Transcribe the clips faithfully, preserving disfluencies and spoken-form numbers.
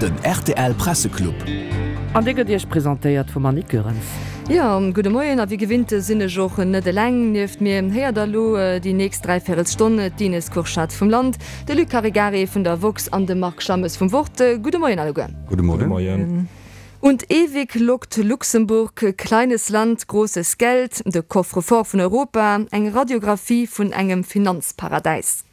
Den rtl Presseclub. An dee gëtt Iech presentéiert vum Annick Goerens. Jo, gudde Moien a wéi gewinnt sinn ech och net eleng. Nieft mir héiert der elo déi nächst Dräivierelstonn d'Ines Kurschat vum Land, de Luc Caregari vun der woxx an de Marc Schammes vum Wort. Gudde Moien alleguer. Gudde Moien. Und ewig lockt Luxemburg, kleines Land, großes Geld, de Coffre-fort vun Europa, eng Radiographie vun engem Finanzparadäis.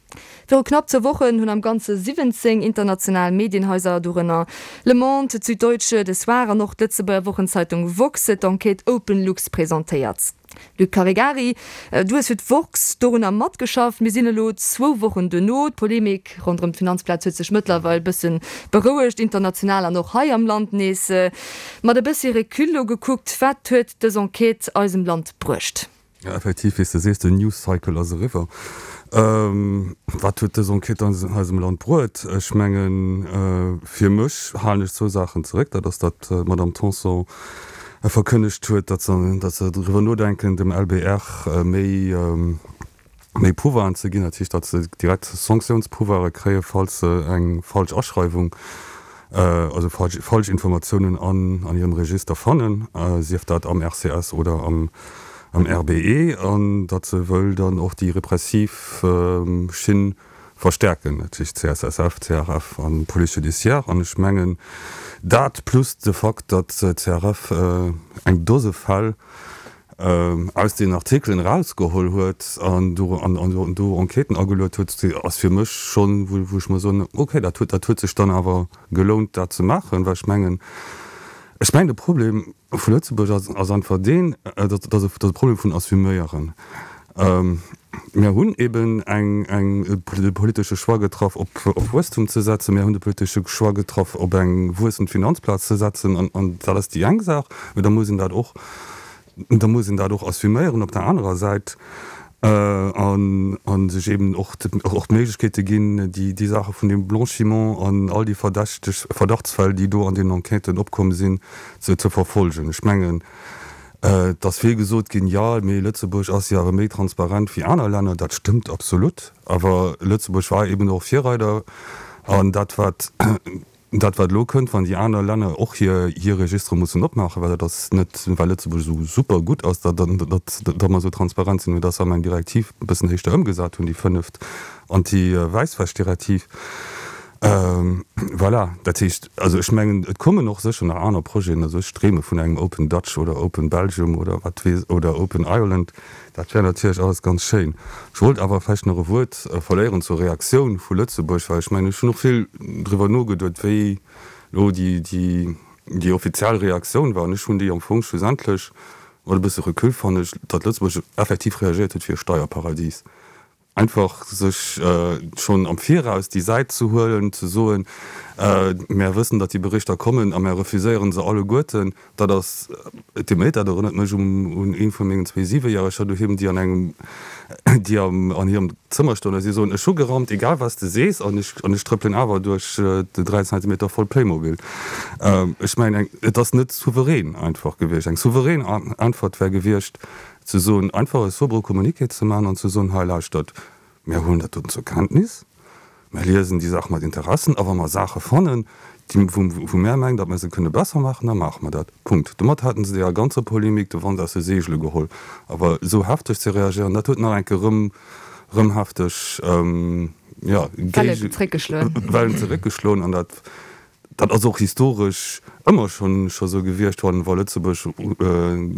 Viru knapp zwou Wochen hunn am Ganze siwwenzéng international Medienhaiser, dorënner Le Monde, d'Süddeutsche, de Soir an och d'Lëtzebuerger Wochenzeitung woxx, d'Enquête OpenLux presentéiert. Luc Caregari, du hues fir d'woxx dorunner matgeschafft. Mir sinn elo zwou Wochen duerno. D'Polemik ronderëm d'Finanzplaz huet sech mëttlerweil bësse berouegt, international an och hei am Land nees. Mat e bëssi Recul elo gekuckt, wat huet dës Enquête eisem Land bruecht? Jo, effektiv, wéi s de sees, den News Cycle ass eriwwer. Wat huet dës Enquête eisem Land bruet? Ech mengen, fir mech halen ech zwou Saachen zeréck. Dat ass, datt d'Madame Tanson verkënnegt huet, datt se, datt se driwwer nodenken, dem L B R méi, méi Pouvoiren ze ginn, dat heescht, datt se direkt Sanktiounspouvouire kréien, falls se eng falsch Aschreiwung, also falsch, falsch Informatiounen an, an hirem Register fannen, sief dat am R C S oder am, am R B E, an datt se wëll dann och déi repressiv Schinn verstärken, dat heescht C S S F, C R F an Police judiciaire. An ech mengen, dat plus de Fakt, datt C R F eng Dose Fäll aus den Artikelen erausgeholl huet an do, an, an do Enquêten ageluet huet, ass fir mech schonn, wou, wou ech mer soen, okay, dat huet, dat huet sech dann awer gelount, dat ze maachen, well ech mengen, ech mengen de Problem vu Lëtzebuerg ass, ass einfach deen, datt, datt e Problem vun Assuméieren. Mir hunn eben eng, eng, de politesche Choix getraff, op, op Wuesstum ze setzen. Mir hunn de politesche Choix getraff, op eng wuessend Finanzplaz ze setzen, an, an dat ass déi eng Saach, mee da muss een dat och, da muss een dat och assuméieren op der anerer Säit an, an sech eben och, och d'Méiglechkeete ginn, déi, déi Saache vun dem Blanchiment an all déi verdächteg Verdachtsfäll, déi do an den Enquêten opkomm sinn, ze, ze verfolgen. Ech mengen, et ass vill gesot ginn, jo, mee Lëtzebuerg ass jo awer méi transparent wéi aner Länner. Dat stëmmt absolut, awer Lëtzebuerg war eben och Virreider an dat wat, dat wat elo kënnt, wann déi aner Länner och hir, hir Registere mussen opmaachen, well dat ass net well Lëtzebuerg esou super gutt ass, datt, datt, datt mer esou transparent sinn, mee datt se eng Direktiv e bëssen éischter ëmgesat hunn, déi fënneft Anti-Wäisswäsch-Direktiv. Voilà, dat heescht, also ech mengen, et kommen och sécher nach aner Projeten, also ech dreeme vun engem Open Dutch oder Open Belgium oder wat weess oder Open Ireland, dat wär natierlech alles ganz schéin. Ech wollt awer vläicht nach e Wuert verléieren zur Reaktioun vu Lëtzebuerg, well ech mengen, ech hunn och vill driwwer nogeduet, wéi elo déi, déi, déi offiziell Reaktioun war, an ech hunn déi am Fong schlussendlech, mat e bësse Recul fannen ech, datt Lëtzebuerg effektiv reagéiert huet wéi e Steierparadies. Einfach sech schonn am Viraus déi Säit ze huelen, ze soen, Mär wëssen, datt déi Berichter kommen a mär refuséieren se alleguerten, dat ass, et deet mir leed, dat erënnert mech un ee vu mengen zwee Siwejäreger doheem, déi an engem, déi am, an hirem Zëmmer stoen a si soen, Ech hu gerammt, egal wat s de sees, an ech, an ech trëppelen awer duerch de dräi Zentimeter voll Playmobil. Ech mengen, eng, et ass net souverän einfach gewiescht. Eng souverän Äntwert wär gewiescht, ze soen, einfach e sobere Communiqué ze maachen an ze soen, hei lauschtert, mir huelen dat doten zur Kenntnis, mir liesen déi Saach mat Interessen a wa mer Saache fannen, déi, wou, wou mir mengen, datt mer se kënne besser maachen, da maache mer dat. Punkt. Domat hätten se deeër ganzer Polemik de Wand aus de Seegele geholl. Awer esou hefteg ze reagéieren, dat huet nach eng Kéier erëm, erëm hefteg, jo, Wellen zeréckgeschloen. Wellen zeréckgeschloen an dat, Dat ass och historesch ëmmer schonn scho sou gewiescht, wann wa Lëtzebuerg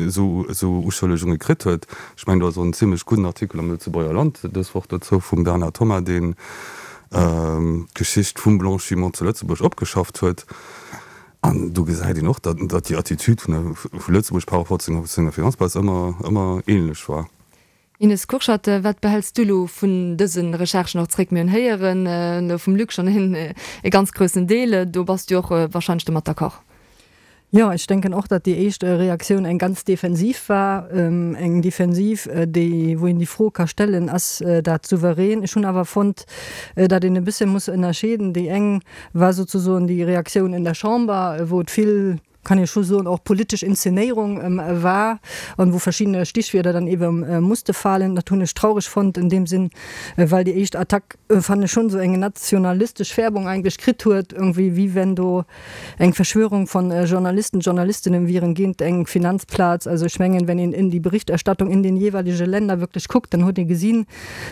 esou esou Uschëllegunge kritt huet. Ech mengen, do ass och en zimlech gudden Artikel am Lëtzebuerger Land dës Woch dozou vum Bernard Thomas, deen d'Geschicht vum Blanchiment zu Lëtzebuerg opgeschafft huet. An do gesäit een och, datt datt déi Attitude vun der vu Lëtzebuerg par rapport zu senger Finanzplaz ëmmer ëmmer ähnlech war. Ines Kurschat, wat behäls du elo vun dëse Recherchen och zréck? Mir hunn héieren elo vum Luc schonn e ganz groussen Deel. Do bass du och wahrscheinlech domat d'accord. Jo, ech denken och, datt déi éischt Reaktioun eng ganz defensiv war. Eng defensiv, déi, wou een déi Fro ka stellen, Ass dat souverän? Ech hunn awer fonnt, datt een e bësse muss ënnerscheeden. Déi eng war souzesoen déi Reaktioun in der Chamber, wou et vill kann ee scho soen, och politesch Inszenéierung war an wou verschiddene Stichwierder dann eben musste falen. Dat hunn ech traureg fonnt in deem Sinn, well déi éischt Attack, fannen ech, schonn esou eng nationalistesch Färbung eigentlech kritt huet, irgendwie wéi wenn do eng Verschwörung von Journalisten, Journalistinnen wieren géint eng Finanzplaz. Also ech mengen, wenn een in die Berichterstattung in den jeeweilige Länder wierklech kuckt, dann huet ee gesinn,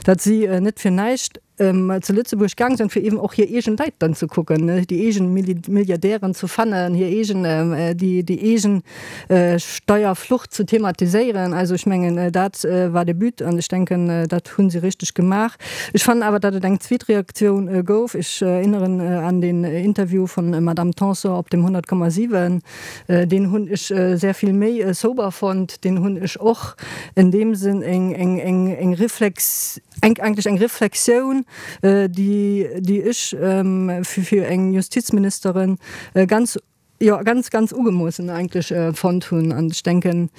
datt si net fir näischt zu Lëtzebuerg gaang sinn, fir eben och hir eegen Leit dann ze kucken, déi eegen Milliardären ze fannen, hir eegen, déi, déi eegen Steierflucht ze thematiséieren. Also ech mengen, dat war de But an ech denken, dat hu si richteg gemaach. Ech fannen awer, datt et eng zweet Reaktioun gouf. Ech erinneren an den Interview vun Madame Tanson op dem hundert Komma siwen. Deen hunn ech sehr vill méi sober fonnt. Deen hunn ech och in deem Sënn eng, eng, eng, eng Reflex, eng, eigentlech eng Reflexioun, déi, déi ech fir eng Justizministerin ganz, jo, ganz, ganz ugemoossen eigentlech fonnt hunn. An ech denken,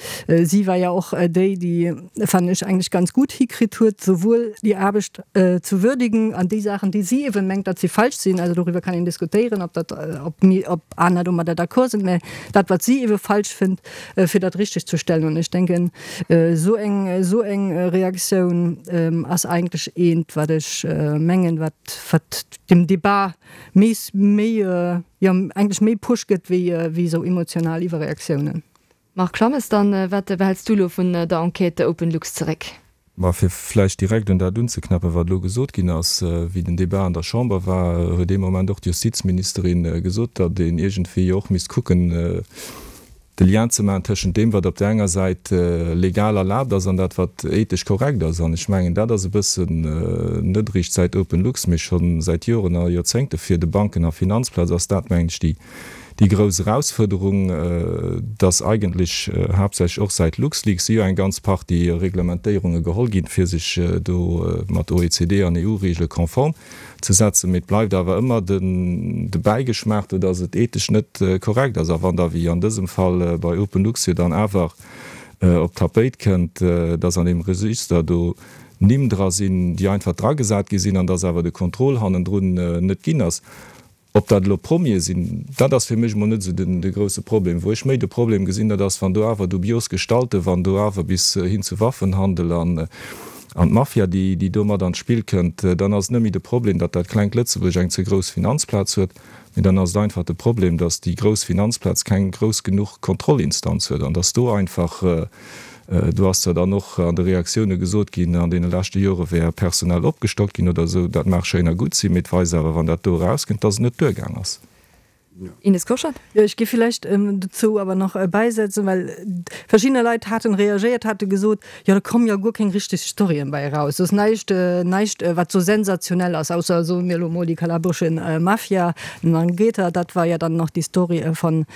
si war jo och déi, déi, fannen ech, eigentlech ganz gutt hikritt huet, souwuel déi Aarbecht ze würdigen an déi Saachen, déi si eeben mengt, datt se falsch sinn, also doriwwer kann een diskutéieren, ob dat, ob mir, ob aner domadder d'accord sinn, mä dat, wat si eebe falsch fënnt, fir dat richteg ze stellen. An ech denken, esou eng, esou eng Reaktioun ass eigentlech eent, wat ech mengen, wat, wat dem Débat méi, méi, jo, eigentlech méi Push gëtt wéi, wéi esou emotional Iwwerreaktiounen. Marc Clammes, Dann, wat behälls du elo vun der Enquête OpenLux zeréck? Ma fir vläicht direkt un dat unzeknäppen, wat elo gesot ginn ass, Wéi den Débat an der Chamber war, huet dee Moment och d'Justizministerin gesot, datt een iergendwéi jo och misst kucken, de Lien ze maachen tëschent deem, wat op där enger Säit legal erlaabt ass, an dat, wat ethesch korrekt ass. An ech mengen, dat ass e bëssen net eréischt säit OpenLux, mee scho säit Joren a Joerzéngte fir de Banken a Finanzplaz ass dat, mengen ech, déi Déi grouss Erausfuerderung, dass eigentlech haaptsächlech och säit LuxLeaks si jo eng ganz Partie Reglementéierunge geholl ginn, fir sech do mat O E C D an E U-Regele konform ze setzen, mee et bleift awer ëmmer de Bäigeschmaach do, dass et ethesch net korrekt ass. A wann da, wéi an dësem Fall bei OpenLux jo dann awer op d'Tapéit kënnt, dass an deem Register do Nimm dra sinn, déi einfach dragesat gi sinn, an dass awer de Contrôle hannendrun net ginn ass, Ob dat elo Promie sinn, dat ass fir mech emol net esou den de grouse Problem. Wou ech méi de Problem gesinn, dat ass, wann do awer dubios Gestalten, wann do awer bis hin zu Waffenhandel an an d'Mafia, déi déi do mat an d'Spill kënnt, dann ass et net méi de Problem, datt dat klengt Lëtzebuerg eng ze grouss Finanzplaz huet, mee dann ass et einfach de Problem, datt déi grouss Finanzplaz keng grouss genuch Kontrollinstanz huet an datt do einfach Do ass zwar dann och an de Reaktioune gesot ginn, an deene leschte Jore wär personell opgestockt ginn oder esou. Dat mag schéin a gutt sinn, mee et weist awer, wann dat do erauskënnt, dass et net duergaang ass. Ines Kurschat. Jo, ech géif villäicht dozou awer nach bäisetzen, well verschiddener Leit haten reagéiert, hate gesot, jo da kommen jo guer keng richteg Storyen bäi eraus, do ass näischt, näischt wat sou sensationell ass, ausser, soe mir elo mol, déi kalabresche Mafia, Ndrangheta, dat war jo dann nach déi Story von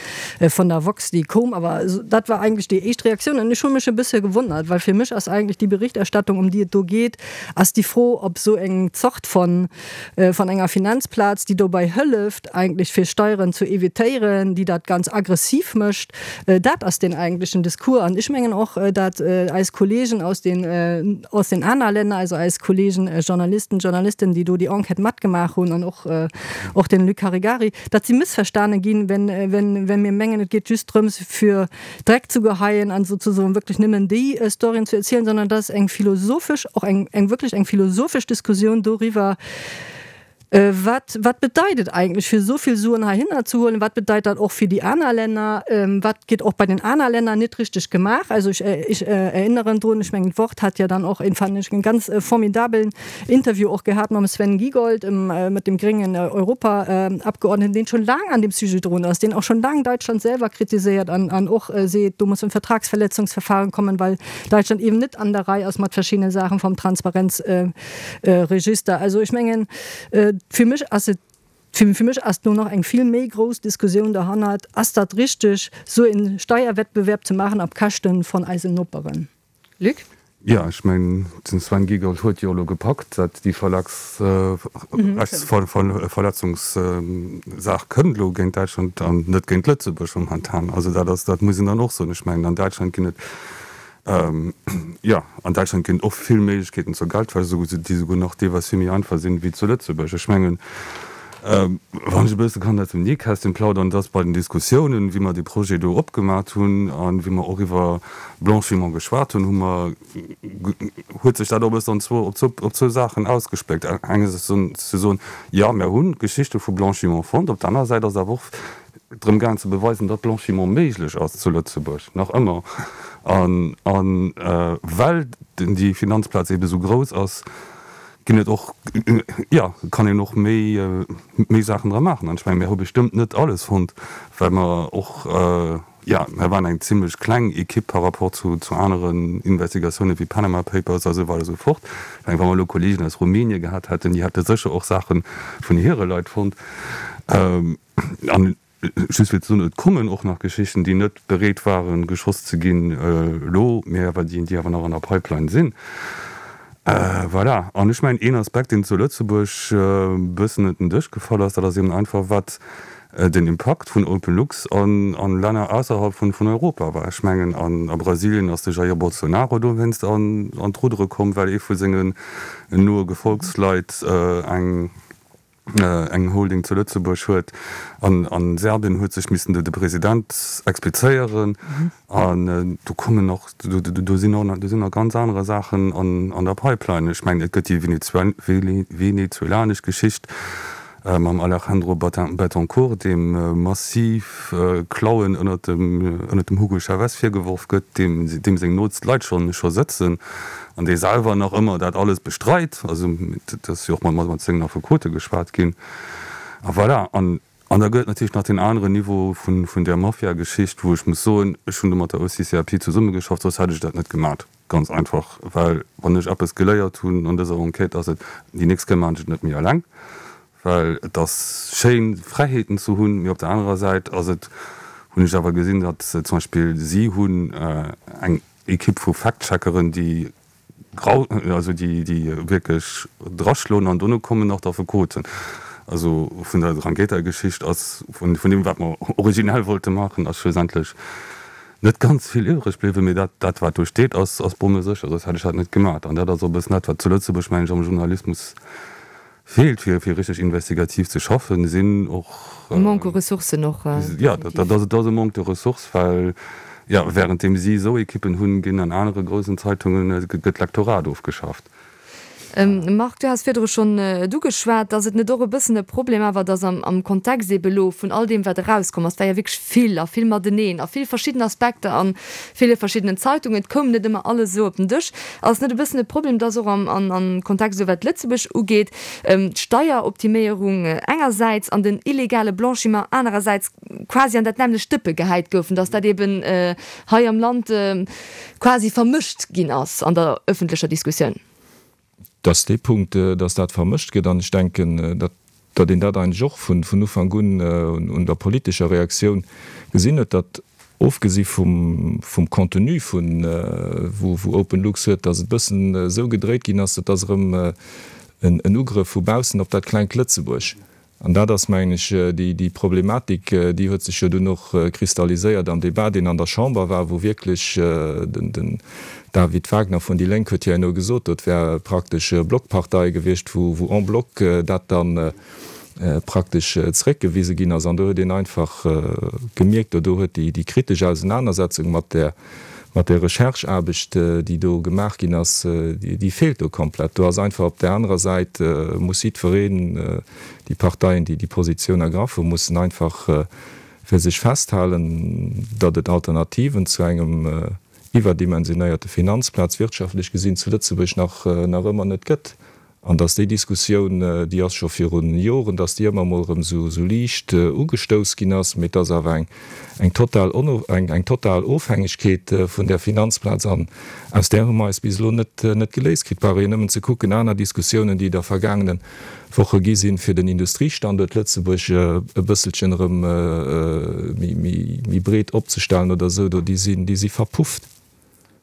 von der Vox, déi koum. Awer dat war eigentlech déi éischt Reaktioun. An ech hu mech e bësse gewonnert, well fir mech ass eigentlech déi Berichterstattung, ëm déi et do geet, ass déi Fro, ob esou eng Zort von von enger Finanzplaz, déi dobäi hëlleft eigentlech fir Steieren ze evitéieren, déi dat ganz aggressiv mécht, dat ass deen eigentlechen Discours. An ech mengen och, dat eis Kollegen aus den aus den aner Länner, also eis Kollegen Journalisten, Journalistinnen, déi do déi Enquête matgemaach hunn, an och och den Luc Caregari, datt si mëssverstane ginn, wenn, wenn, wenn mir mengen, et geet just drëms, fir Dreck ze geheien an sozusagen wierklech nëmmen déi Storyen ze erzielen, sondern dat ass eng philosophesch, och eng, eng wierklech eng philosophesch Diskussioun doriwwer, Wat, wat bedeit et eigentlech, fir esou vill Suen heihinner ze huelen? Wat bedeit dat och fir déi aner Länner? Wat gétt och bei den aner Länner net richteg gemaach? Also ech, ech erinneren drun, ech mengen, d'Wort hat ja dann och een, fand ech, en ganz formidabelen Interview och gehat mam Sven Giegold, mat dem gréngen Europaabgeordneten, deen schon laang an deem Sujet drun ass, deen och schon laang Deutschland selwer kritiséiert an, an och seet, do muss en Vertragsverletzungsverfahren kommen, well Deutschland eben net an der Rei ass mat verschiddene Saachen vom Transparenzregister. Also ech mengen, Fir mech ass et, fir mech ass do nach eng vill méi grouss Diskussioun derhannert, Ass dat richteg, esou e Steierwettbewerb ze maachen op Käschte von eisen Noperen? Luc? Jo, ech mengen, den Sven Giegold huet jo elo gepackt, dat déi Verlagsrechtsverletzungssaach kënnt elo géint Däitschland an net géint Lëtzebuerg momentan. Also dat ass, dat muss een dann och soen. Ech mengen, an Däitschland ginn et, Jo, an Däitschland ginn et och vill Méiglechkeeten zur Geldwäsch, déi souguer nach deelweis vill méi einfach sinn wéi zu Lëtzebuerg. Ech mengen, Wann ech e bësse kann aus dem Nähkästchen plaudern, dass bei den Diskussiounen, wéi mer dee Projet do opgemat hunn a wéi mer och iwwer Blanchiment geschwat hunn, hu mer, huet sech dat och e bëssen an zwou, op zwou, op zwou Saachen ausgespléckt. Engersäits ze soen, jo, mer hu Geschichte vu Blanchiment fonnt. Op der anerer Säit ass awer och drëm gaangen ze beweisen, datt Blanchiment méiglech ass zu Lëtzebuerg, nach ëmmer. An, an well déi Finanzplaz eebe sou grouss ass, ginn et och, jo, kann een och méi, méi Saachen dra maachen. An ech mengen, mir hu bestëmmt net alles fonnt, well mer och, jo, mir waren eng zimlech kleng Ekipp par rapport zu, zu aneren Investigatiounen wéi Panama Papers a sou weider a sou fort. Ech mengen, wa mer elo Kollegen aus Rumänien gehat hätten, déi hätte sécher och Saache vun hire Leit fonnt. An just fir ze soen, et kommen och nach Geschichten, déi net bereet waren, geschoss ze ginn elo, mä awer déi, déi awer nach an der Pipeline sinn. Voilà. An ech mengen, een Aspekt, deen zu Lëtzebuerg e bëssen ënner den Dësch gefall ass, dat ass eben einfach, wat den Impakt vun OpenLux an Länner ausserhalb vun Europa war. Ech mengen, a Brasilien ass de Jair Bolsonaro dowéinst an d'Ruddere komm, well ee vu sengen noe Gefolgsleit eng eng Holding zu Lëtzebuerg huet. An a Serbien huet sech missen de President explizéieren. An do kommen nach, do sinn och nach, do sinn nach ganz anerer Saachen an der Pipeline. Ech mengen, et gëtt déi venezuelanesch Geschicht mam Alejandro Betancourt, deem massiv Klauen ënnert dem, ënnert dem Hugo Chavez virgeworf gëtt, deem, deem seng nootst Leit scho scho sëtzen an dee selwer nach ëmmer dat alles bestreit. Also et ass jo och mat mat sengen Affekote geschwat ginn. A voilà. An, an da gëtt et natierlech nach deen aneren Niveau vun, vun där Mafia-Geschicht, wou ech muss soen, ech hunn do mat der O C C A P zesummegeschafft, soss hätt ech dat net gemat. Ganz einfach, well wann ech eppes geléiert hunn an dëser Enquête, ass et, déi nächst Kéier maachen ech et net méi eleng. Well et ass schéin, Fräiheeten ze hunn, mee op der anerer Säit ass et, hunn ech awer gesinn, datt zum Beispill si hunn eng Ekipp vu Fact-Checkeren, déi grau, also déi, déi wierklech draschloen an dono kommen nach d'Affekoten. Also vun der Drangheta-Geschicht ass, vun deem wat mer originell wollte maachen, ass schlussendlech net ganz vill iwwreg bliwwen, mee dat, dat wat do steet, ass, ass bommesécher, soss hätt ech dat net gemaach. An dat ass och e bëssen dat, wat zu Lëtzebuerg, mengen ech, am Journalismus feelt, fir, fir richteg investigativ ze schaffen, sinn och. E Manque u Ressourcen och. Jo, dat ass, dat ass e Manque de ressources, well, jo, wärenddeem si esou Ekippen hunn, ginn an anere groussen Zeitungen, gëtt d'Lektorat ofgeschafft. Marc, du has virdru schonn et ugeschwat, ass et net och e bëssen e Problem awer, dass am Kontext eebe elo vun all deem, wat erauskomm ass, et war jo wierklech vill a vill mateneen a vill verschidden Aspekter a ville verschiddenen Zeitungen, et koum net ëmmer alles esou op den Dësch, ass et net e bëssen e Problem, dass och am Kontext elo wat Lëtzebuerg ugeet, d'Steieroptiméierung engersäits an den illegale Blanchiment anerersäits quasi an dat nämmlecht Dëppe gehäit goufen, dass dat eeben hei am Land quasi vermëscht ginn ass an der öffentlecher Diskussioun? Dass dee Punkt, dass dat vermëscht gëtt, an ech denken, datt een dat eigentlech och vun Ufank un un der politescher Reaktioun gesinn huet, datt ofgesi vum Contenu vun wou OpenLux huet, datt et e bëssen esou gedréit ginn ass, et ass erëm en Ugrëff vu baussen op dat klengt Lëtzebuerg. An dat ass, mengen ech, déi Problematik, déi huet sech jo dunn och kristalliséiert am Débat, deen an der Chamber war, wou wierklech den David Wagner vun déi Lénk huet jo herno gesot, dat wär praktesch Blockpartei gewiescht, wou en bloc dat dann praktesch zréckgewise ginn ass. An do huet een einfach gemierkt, do huet déi kritesch Ausenanersetzung mat där mat der Rechercheaarbecht, déi do gemaach ginn ass, déi feelt do komplett. Do ass einfach op där anerer Säit, muss jiddwereen, déi Parteien, déi déi Positioun ergraff hunn, mussen einfach fir sech festhalen, datt et Alternativen zu engem iwwerdimensionéierte Finanzplaz, wirtschaftlech gesinn, zu Lëtzebuerg nach nach ëmmer net gëtt. An datt déi Diskussioun, déi ass scho virun Joren, datt déi ëmmer emol erëm esou liicht ugestouss ginn ass, mee et ass awer eng eng total eng eng total Ofhängegkeet vun där Finanzplaz an aus där hu mer eis bis elo net net geléist kritt. Brauch een nëmmen ze kucken, aner Diskussiounen, déi der vergaangene Woche gi sinn, fir den Industriestanduert Lëtzebuerg e bësselchen erëm méi méi méi breet opzestellen oder esou, do déi sinn déi si verpufft.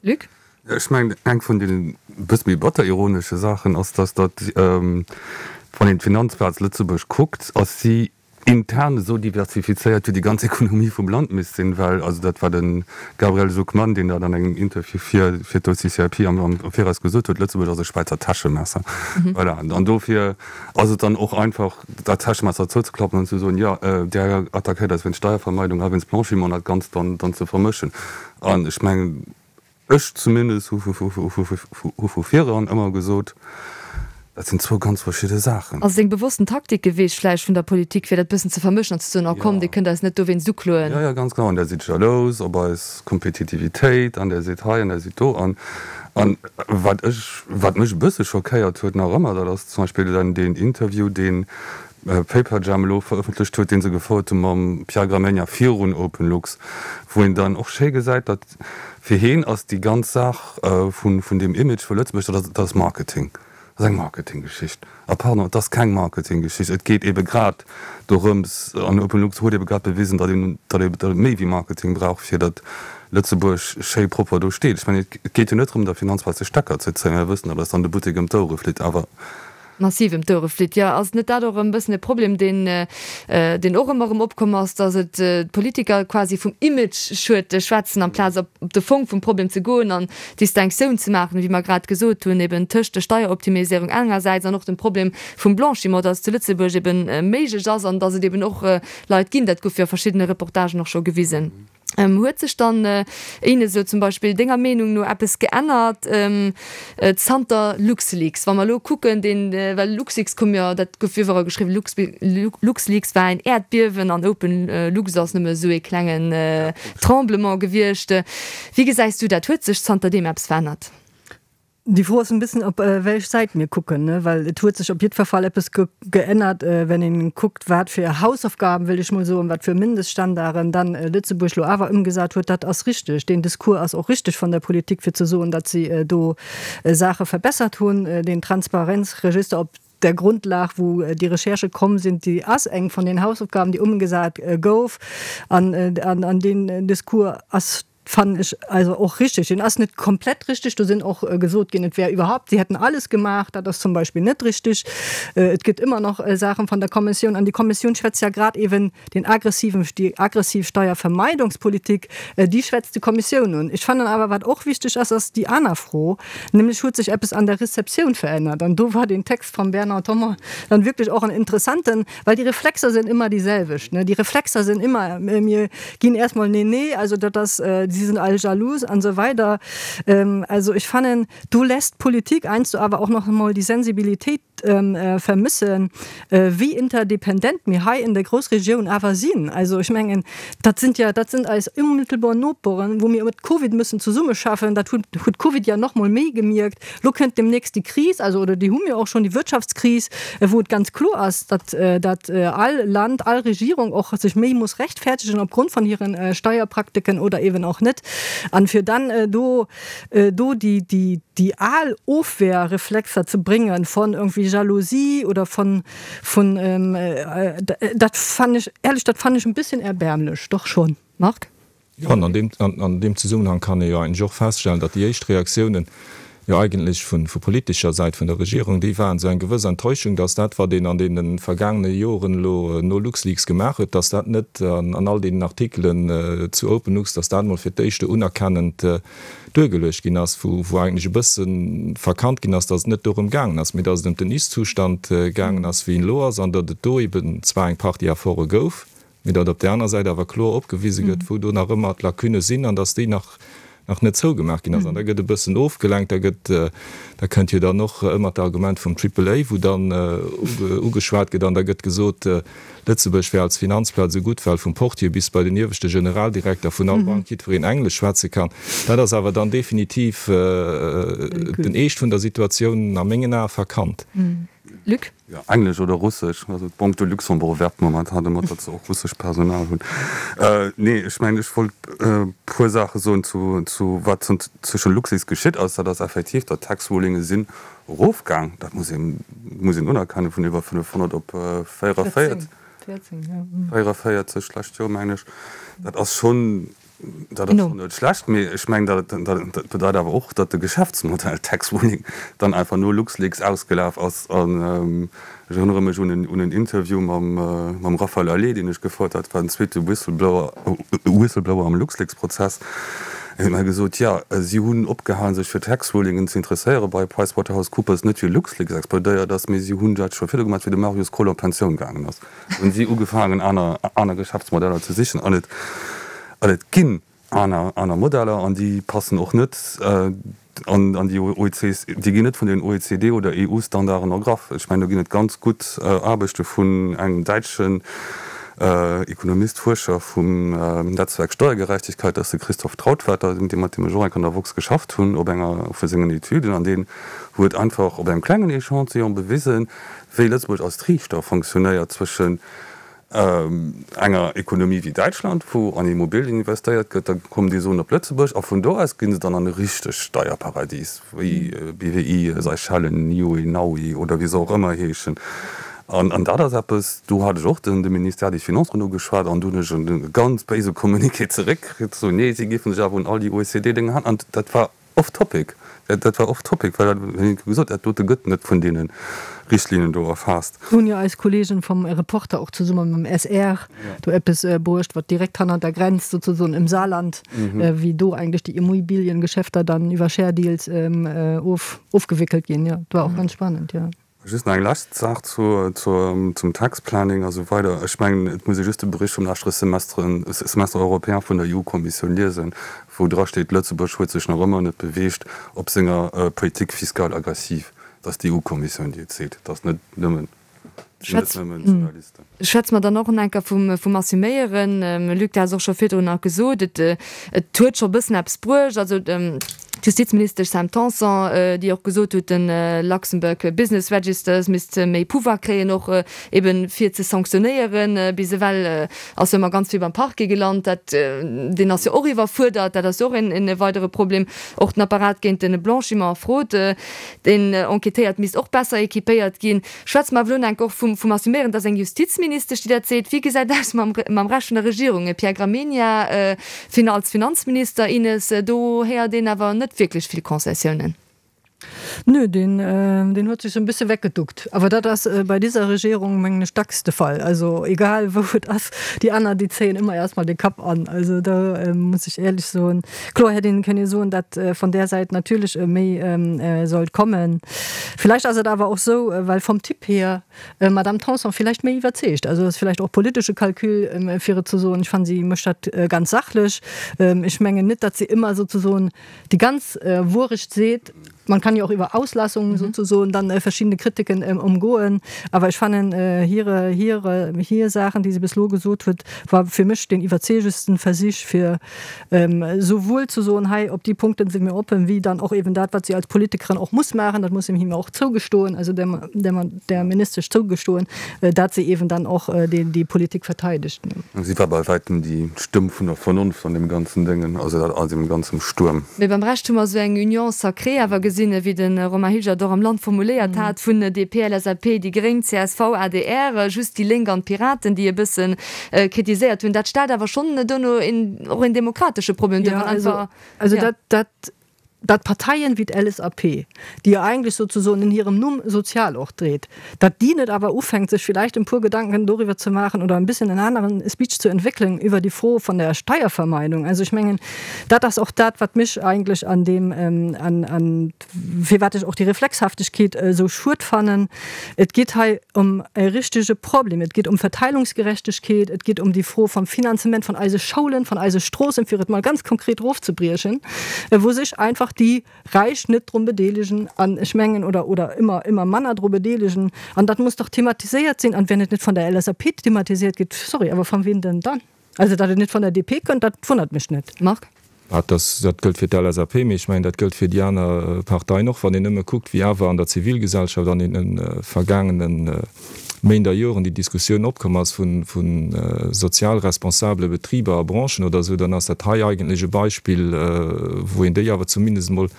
Luc? Ech mengen, eng vun den e bësse méi batter ironesche Saachen ass, dass datt, wann een d'Finanzplaz Lëtzebuerg kuckt, ass si intern esou diversifizéiert wéi déi ganz Ekonomie vum Land misst sinn, well, also dat war de Gabriel Zucman, deen dat an engem Interview fir fir d'OCCIP am am Viraus gesot huet, Lëtzebuerg ass e Schwäizer Täschemesser. Voilà. An dofir ass et dann och einfach, dat Täschemesser zouzeklappen an ze soen, jo, Där attackéiert eis wéinst Steiervermeidung a wéinst Blanchiment, an dat Ganzt dann dann ze vermëschen. An ech mengen, ech zumindest hu hu vu vireran ëmmer gesot, Dat sinn zwou ganz verschidde Saachen. Ass et eng bewossten Taktik geweecht vläicht vun der Politik, fir dat bëssen ze vermëschen an ze soen, oh komm, Dir kënnt eis net dowéinst ukloen? Jo, jo, ganz genau. An Der sidd jalous op eis Kompetitivitéit an Der sidd hei an Der sidd do. An, an wat ech, wat mech e bësse schockéiert huet nach ëmmer, dat ass zum Beispill dann deen Interview, deen Paperjam elo verëffentlecht huet, dee se gefouert hu mam Pierre Gramegna virun OpenLux, wou een dann och schéi gesäit, datt fir heen ass déi ganz Saach vun, vun deem Image vu Lëtzebuerg, dat ass, dat ass Marketing. Dat ass eng Marketinggeschicht. A pardon, et ass keng Marketinggeschicht. Et geet ebe grad dorëms, an OpenLux huet ebe grad bewisen, datt een, datt ee, datt et méi wéi Marketing brauch, fir datt Lëtzebuerg schéi propper do steet. Ech mengen, et geet jo net drëm, der Finanzplaz de Stecker ze zéien. Mir wëssen, datt eis dann de Buttek ëm d'Ouere flitt, awer. Massiv ëm d'Ouere flitt. Jo, ass net dat och e bëssen e Problem, deen, deen och ëmmer erëm opkomm ass, datt et d'Politiker quasi vum Image-Schued schwätzen, amplaz op de Fong vum Problem ze goen an d'Distinctioun ze maachen, wéi mer grad gesot hunn, eben tëscht der Steieroptimiséierung engersäits an och dem Problem vum Blanchiment, datt et zu Lëtzebuerg eben méiglech ass an datt et eben och Leit ginn, dat gouf jo a verschiddene Reportagen och scho gewisen. Huet sech dann, Ines, elo zum Beispill denger Meenung no eppes geännert zanter LuxLeaks? Wa mer elo kucken, deen, well LuxLeaks koum jo, dat gouf iwwerall geschriwwen, LuxLeaks war ein Äerdbiewen an OpenLux ass nëmme esou ee klengen Tremblement gewiescht. Wéi gesäis du dat? Huet sech zanterdeem eppes verännert? Déi Fro ass en bëssen op wéiech Säit mir kucken, ne, well et huet sech op jiddwer Fall eppes geännert, wenn een kuckt, wat fir Hausaufgaben, wëll ech mol soen, wat fir Mindeststandarden dann Lëtzebuerg lo awer ëmgesat huet. Dat ass richteg. Deen Discours ass och richteg von der Politik, fir ze soen, datt si do Saache verbessert hunn. Den Transparenzregister op der Grundlag, wou déi Recherchë komm sinn, déi ass eng von den Hausaufgaben, déi ëmgesat gouf. An an deen Discours ass Fannen ech also och richtig. Deen ass net komplett richtig. Do sinn och gesot ginn, et wär überhaupt, sie hätten alles gemacht. Dat ass zum Beispill net richtig. Et gëtt ëmmer nach Saachen van der Kommissioun. An déi Kommissioun schwätzt ja grad eben den aggressiven, déi aggressiv Steiervermeidungspolitik, déi schwätzt déi Kommissioun un. Ech fannen awer, wat och wichteg ass, ass déi aner Fro, nämlech huet sech eppes an der Rezeptioun verännert. An do war deen Text vum Bernard Thomas dann wirklich och en interessanten, well déi Reflexer sinn ëmmer déi selwecht, ne. Déi Reflexer sinn ëmmer, mir ginn erst mol, nee, nee, also dat ass, sie sind alle jaloux an so weider. Also ech fannen, do lässt d'Politik einst du awer och nach emol déi Sensibilitéit vermëssen, wéi interdependent mir hei in der Grossregioun awer sinn. Also ech mengen, dat sind ja, dat sind eis unmittelbar Noperen, wou mir mit Covid müssen zesummeschaffen. Dat huet, huet Covid ja nach mol méi gemierkt. Lo kënnt demnächst déi Kris, also oder déi hu mir och schonn, déi Wirtschaftskris, wou et ganz kloer ass, datt, datt all Land, all Regierung och sech méi muss rechtfertegen opgrond von hiren Steierpraktiken oder eben och net. An fir dann do, do déi, déi, déi al Ofwehrreflexer ze bréngen von irgendwie Jalousie oder von, von, dat fannen ech, ehrlech, dat fannen ech en bisschen erbärmlech, doch schon. Marc? Jo, an an deem, an deem Zesummenhang kann ee jo eigentlech och feststellen, datt déi éischt Reaktiounen jo eigentlech vu, vu politescher Säit vun der Regierung, déi waren esou eng gewëss Enttäuschung, datt dat, wat een an deene vergaangene Joren elo no LuxLeaks gemaach huet, datt dat net an, an all deenen Artikelen zu OpenLux, datt dat emol fir d'éischte unerkennend duergeluecht ginn ass, wou, wou eigentlech e bësse verkannt ginn ass, datt et net dorëm gaangen ass, mee datt et ëm den Ist-Zustand gaangen ass, wéi en elo ass, an datt et do eben zwar eng Partie Efforte gouf, mee datt op där aner Säit awer kloer opgewise gëtt, wou do nach ëmmer d'Lacunne sinn an datt déi nach, nach net zougemaach ginn ass. An da gëtt e bëssen ofgelenkt, da gëtt, da kënnt jo dann och ëmmer d'Argument vum Triple A, wou dann ugeschwat gëtt an da gëtt gesot, Lëtzebuerg wär als Finanzplaz esou gutt, well vum Portier bis bei den ieweschte Generaldirekter vun all Bank jiddwereen Englesch schwätze kann. Dat ass awer dann definitiv den Eescht vun der Situatioun a mengen Ae verkannt. Luc? Jo, Englesch oder Russesch. Also d'Banque de Luxembourg werbt momentan domat, datt se och russesch Personal hunn. Nee, ech mengen, ech wollt e puer Saache soen zu, zu wat zwësche Luxis geschitt ass. Dat ass effektiv, datt d'Tax-Rulinge sinn erofgaang. Dat muss een, muss een unerkennen, vun iwwer fënnefhonnert op véierunvéierzeg, véierunvéierzeg d'lescht Joer, mengen ech. Dat ass schonn. Dat ass schonn net schlecht, mee ech mengen, dat dat bedeit awer och, datt de Geschäftsmodell Tax Ruling dann einfach no LuxLeaks ausgelaf ass. An ech erënnere mech un en un en Interview mam mam Raphaël Halet, deen ech gefouert hat, war den zweete Whistleblower Whistleblower am LuxLeaks-Prozess. En huet mer gesot, jo, si hunn opgehalen, sech fir Tax Rulingen ze interesséiere bei PricewaterhouseCoopers, net wéi LuxLeaks explodéiert ass, mee si hunn dat scho virdu gemaach, wéi de Marius Koll an d'Pensioun gaangen ass, hunn si ugefaangen, aner aner Geschäftsmodeller ze sichen. An et an et ginn aner aner Modeller an déi passen och net an an déi O E C, déi ginn net vun den O E C D oder E U-Standarden ergraff. Ech mengen, do ginn et ganz gutt Aarbechte vun engem däitschen Ekonomist, Fuerscher vum Netzwerk Steuergerechtigkeit, dat ass de Christoph Trautvetter, dee mat deem ech och eng Kéier an der woxx geschafft hunn op enger vu sengen Etüden, an deen huet einfach op engem klengen Echantillon bewisen, wéi Lëtzebuerg als Triichter fonctionnéiert zwëschen enger Ekonomie wéi Däitschland, wou an Immobilien investéiert gëtt, da kommen déi Suen op Lëtzebuerg a vun do aus ginn se dann an e richtegt Steierparadies, wéi B W I, Seychellen, Niue, Naui oder wéi se och ëmmer heeschen. An an dat ass eppes, do hat ech och den de Ministère des Finances drun ugeschwat an do hunn ech e ganz béise Communiqué zeréckkritt, sou, nee, si géife sech awer un all déi O E C D-Dénge halen. An dat war off topic, dat war off topic, well dat, wéi gesot, dat dote gëtt net vun deene Richtlinien do erfaasst. Do hunn jo eis Kollegen vum Reporter och zesumme mam S R do eppes bruecht, wat direkt hannert der Grenz sozesoen im Saarland, wéi do eigentlech déi Immobiliengeschäfter dann iwwer Share Deals of, ofgewickelt ginn. Jo, dat war och ganz spannend, jo. Just nach eng lescht Saach zu, zu, zum Tax Planning a sou weider. Ech mengen, et muss ee just de Bericht vum leschte Semestre, Semestre européen vun der E U-Kommissioun liesen, wou drasteet, Lëtzebuerg huet sech nach ëmmer net beweegt op senger Politique fiscale aggressive. Dat ass d'E U-Kommissioun, déi et seet. Dat ass net nëmmen, sinn net nëmmen Journalisten. Schwätze mer dann och en enker vum, vum Assuméieren. Luc, du has och scho virdrun nach gesot, et, et huet scho e bëssen eppes bruecht. Also d'Justizministesch Sam Tanson, déi och gesot huet, de Luxembourg Business Registers misst méi Pouvoir kréien, och eben fir ze sanktionéieren. Bis ewell ass jo ëmmer ganz vill beim Parquet gelant. Dat, deen ass jo och iwwerfuerdert. Dat ass jo och en, en weidere Problem. Och den Apparat géint de Blanchiment a Fraude, deen enquêtéiert, misst och besser équipéiert ginn. Schwätze mer awer elo enk och vum, vum Assuméieren. Dat ass eng Justizministesch, déi dat seet. Wéi gesäit aus mam, mam Rescht vun der Regierung? Pierre Gramegna, als Finanzminister, Ines, do héiert een awer net wierklech vill Concessiounen. Nö, deen, deen huet sech sou e bësse weggeduckt. Awer dat ass bei dieser Regierung, mengen ech, dacks de Fall. Also egal wou et ass, déi aner, déi zéien ëmmer erst mal de Kapp an. Also do muss ech éierlech soen, kloer hätt een kënne soen, dat vun där Säit natierlech méi sollt kommen. Villäicht ass et awer och sou, well vum Typ hier Madame Tanson villäicht méi iwwerzeegt. Also ass villäicht och politesche Calcul, fir et ze soen. Ech fannen, si mécht dat ganz sachlech. Ech mengen net, datt si ëmmer souzesoen déi ganz Wuerecht seet. Man kann ja auch über Auslassungen mhm. sozusagen dann äh, verschiedene Kritiken ähm, umgoen. Aber ich fand äh, hire, hire, hir Saachen, déi si bis lo gesot huet, war fir mech den iwwerzeegendsten Versich fir ähm, souwuel ze soen, hei op déi Punkte si mir oppen, wéi dann och eben dat, wat si als Politikerin och muss maachen, dat muss him him och zougestoen, also der, der, der Ministesch zougestoen, äh, dat si eben dann och äh, déi, déi Politik verteidegt. Si war bei wäitem déi Stëmm vun der Vernonft an deem ganzen Déngen, also dat an deem ganzem Stuerm. Mee beim Rescht hu mer esou eng Union sacrée awer gesinn, wéi de Romain Hilgert och am Land formuléiert hat, vun D P, L S A P, déi Gréng, C S V, A D R, just déi Lénk an d'Piraten, déi e bësse kritiséiert hunn. Dat stellt awer schonn dono een, och een demokratesche Problem duer, Ja, wann also, einfach, also ja. dat, dat, dat Parteien wéi d'L S A P, déi jo eigentlech sozesoen in hirem Numm sozial och dréit, dat déi net awer ufänkt, sech villäicht e puer Gedanken doriwwer ze maachen oder e bëssen en aneren Speech ze entwéckelen iwwer déi Fro vun der Steiervermeidung. Also ech mengen, dat ass och dat, wat mech eigentlech an deem, ähm, an, an firwat ech och déi Reflexhaftegkeet äh, sou schued fannen. Et geet hei ëm e richtege Problem. Et geet ëm Verteilungsgerechtegkeet, et geet ëm déi Fro vum Finanzement vun eise Schoulen, vun eise Stroossen, fir et mol ganz konkret rofzebriechen, äh, wou sech einfach déi Räich net dru bedeelegen an ech mengen oder oder ëmmer ëmmer manner dru bedeelegen an dat muss dach thematiséiert sinn an wann et net vun der L S A P thematiséiert gëtt, sorry, awer vu wem denn dann? Also dat et net vun der D P kënnt, dat wonnert mech net. Marc? Ah, dat, dat gëllt fir d'L S A P, mee ech mengen, dat gëllt fir déi aner Parteien och, wann een nëmme kuckt, wéi awer an der Zivilgesellschaft an deene vergaangenen Méint a Joren déi Diskussioun opkomm ass vu sozial responsabele Betriber a Branchen oder esou, dann ass dat hei eigentlech e Beispill, wou een déi awer zumindest emol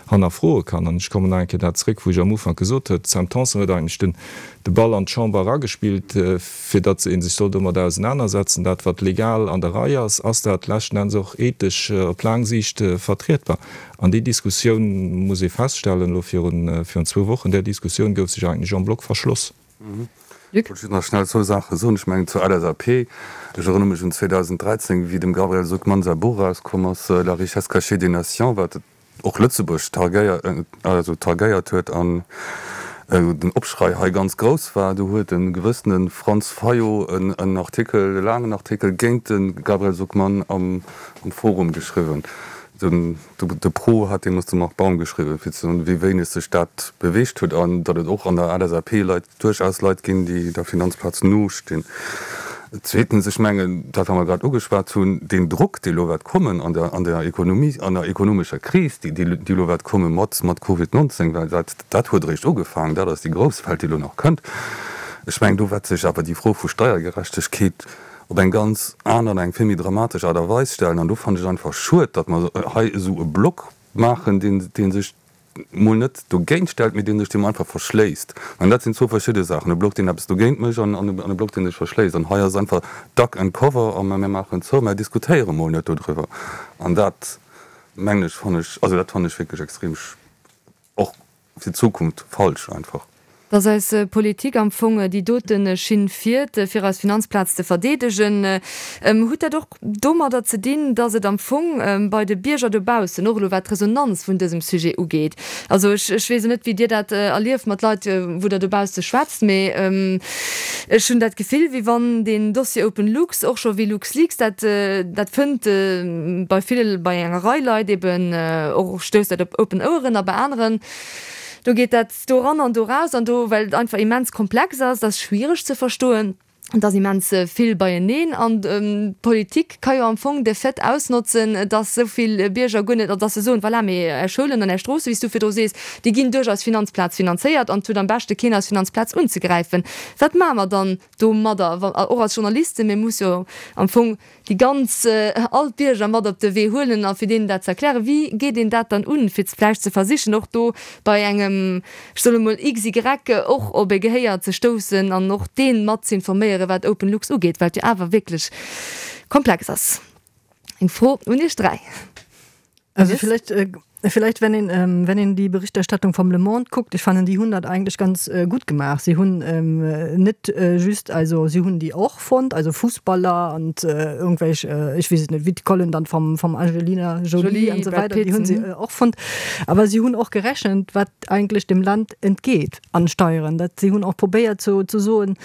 hannerfroe kann. An ech kommen nach eng Kéier dat zréck, wou ech am Ufank gesot huet, D'Sam Tanson huet eigentlech den de Ball an d'Chamber eragespillt, fir datt ee sech soll domat ausenanersetzen. Dat, wat legal an der Rei ass, ass dat leschten Enns och ethesch op laang Siicht vertrietbar? An déi Diskussioun, muss ee feststellen, elo virun zwou Wochen, där Diskussioun gouf sech eigentlech en bloc verschloss. Luc? Ech wollt just nach schnell zwou Saache soen. Ech mengen zur LSAP, ech erënnere mech un zweedausenddräizéng, wéi dem Gabriel Zucman säi Buch erauskomm ass, La richesse cachée des nations, wat och Lëtzebuerg targéiert, also targéiert huet an den Opschrei hei ganz grouss war. Do huet e gewëssene Franz Fayot en Artikel, e laangen Artikel géint de Gabriel Zucman am Forum geschriwwen. De Pro hat deemools de Marc Baum geschriwwen, fir ze soen, wéi wéineg sech dat beweegt huet an datt et och an der LSAP Leit, duerchaus Leit ginn, déi der Finanzplaz nostinn. Zweetens, ech mengen, dat wat mer grad ugeschwat hunn, deen Drock, dee elo wäert kommen an der an der Ekonomie, an der ekonomescher Kris, déi déi elo wäert komme mat mat Covid neunzehn, well dat dat huet eréischt ugefaangen, dat ass déi grouss Welt, déi elo nach kënnt. Ech mengen, do wäert sech awer déi Fro vu Steiergerechtegkeet op eng ganz aner an eng vill méi dramatesch Aart a Weis stellen. An do fannen ech et einfach schued, datt mer hei esou e Block maachen, deen, dee sech mol net dogéint stellt, mee dee sech deem einfach verschléisst. An dat sinn zwou verschidde Saachen, e Block, deen eppes dogéint mécht, an e Block, dee sech verschléisst. An hei ass einfach duck and cover a mir maachen zou, mir diskutéiere mol net dodriwwer. An dat, mengen ech, fannen ech, also dat fannen ech wierklech extrem och fir d'Zukunft falsch einfach. Dass eis Politik am Fong déi dote Schinn fiert, fir eis Finanzplaz ze verdeedegen, hutt dat och domadder ze dinn, dass et am Fong bei de Bierger dobaussen, och elo wat d'Resonanz vun dësem Sujet ugeet, also ech weess elo net, wéi Dir dat erlieft mat Leit, wou Der dobausse schwätzt, mee ech hunn dat Gefill, wéi wann deen Dossier OpenLux, och scho wéi LuxLeaks, dat dat fënnt bei ville, bei enger Rei Leit eben och, stousst dat op open Oueren a bei aneren, Do geet dat do eran an do raus an do, well et einfach immens komplex ass, et ass schwiereg ze verstoen, et ass immens vill beieneen an d'Politik ka jo am Fong de Fait ausnotzen, dass esou vill Bierger guer net, also dass se soen, voilà, mee Är Schoulen an Är Stroosse, wéi s du virdru sees, déi ginn duerch eis Finanzplaz finanzéiert an et huet am beschte keen eis Finanzplaz unzegräifen. Wat maache mer dann domadder, och als Journalisten? Mir muss jo am Fong déi ganz, all d'Bierger mat op de Wee huelen a fir deenen dat ze erklären. Wéi geet een dat dann un, fir vläicht ze versichen, och do bei engem, ech soen emol, XY och op e Gehéier ze stoussen an och dee mat z'informéieren, wat OpenLux ugeet, wat jo awer wierklech komplex ass? Eng Fro un Iech dräi. Also vielleicht Vielleicht wenn een, ähm, wenn een die Berichterstattung vom Le Monde guckt, ich fand die hunn dat eigentlich ganz äh, gut gemacht. Sie hunn ähm, net äh, just also sie hunn die och fonnt, also Fußballer und äh, irgendwelch äh, ich weess et net, wéi d'Kollen dann vom, vom Angelina Jolie, Jolie und so weiter, die hunn sie äh, och fonnt. Aber sie hunn och gerechent, wat eigentlich dem Land entgeht an Steieren. Dat sie hunn och probéiert zu, zu soen,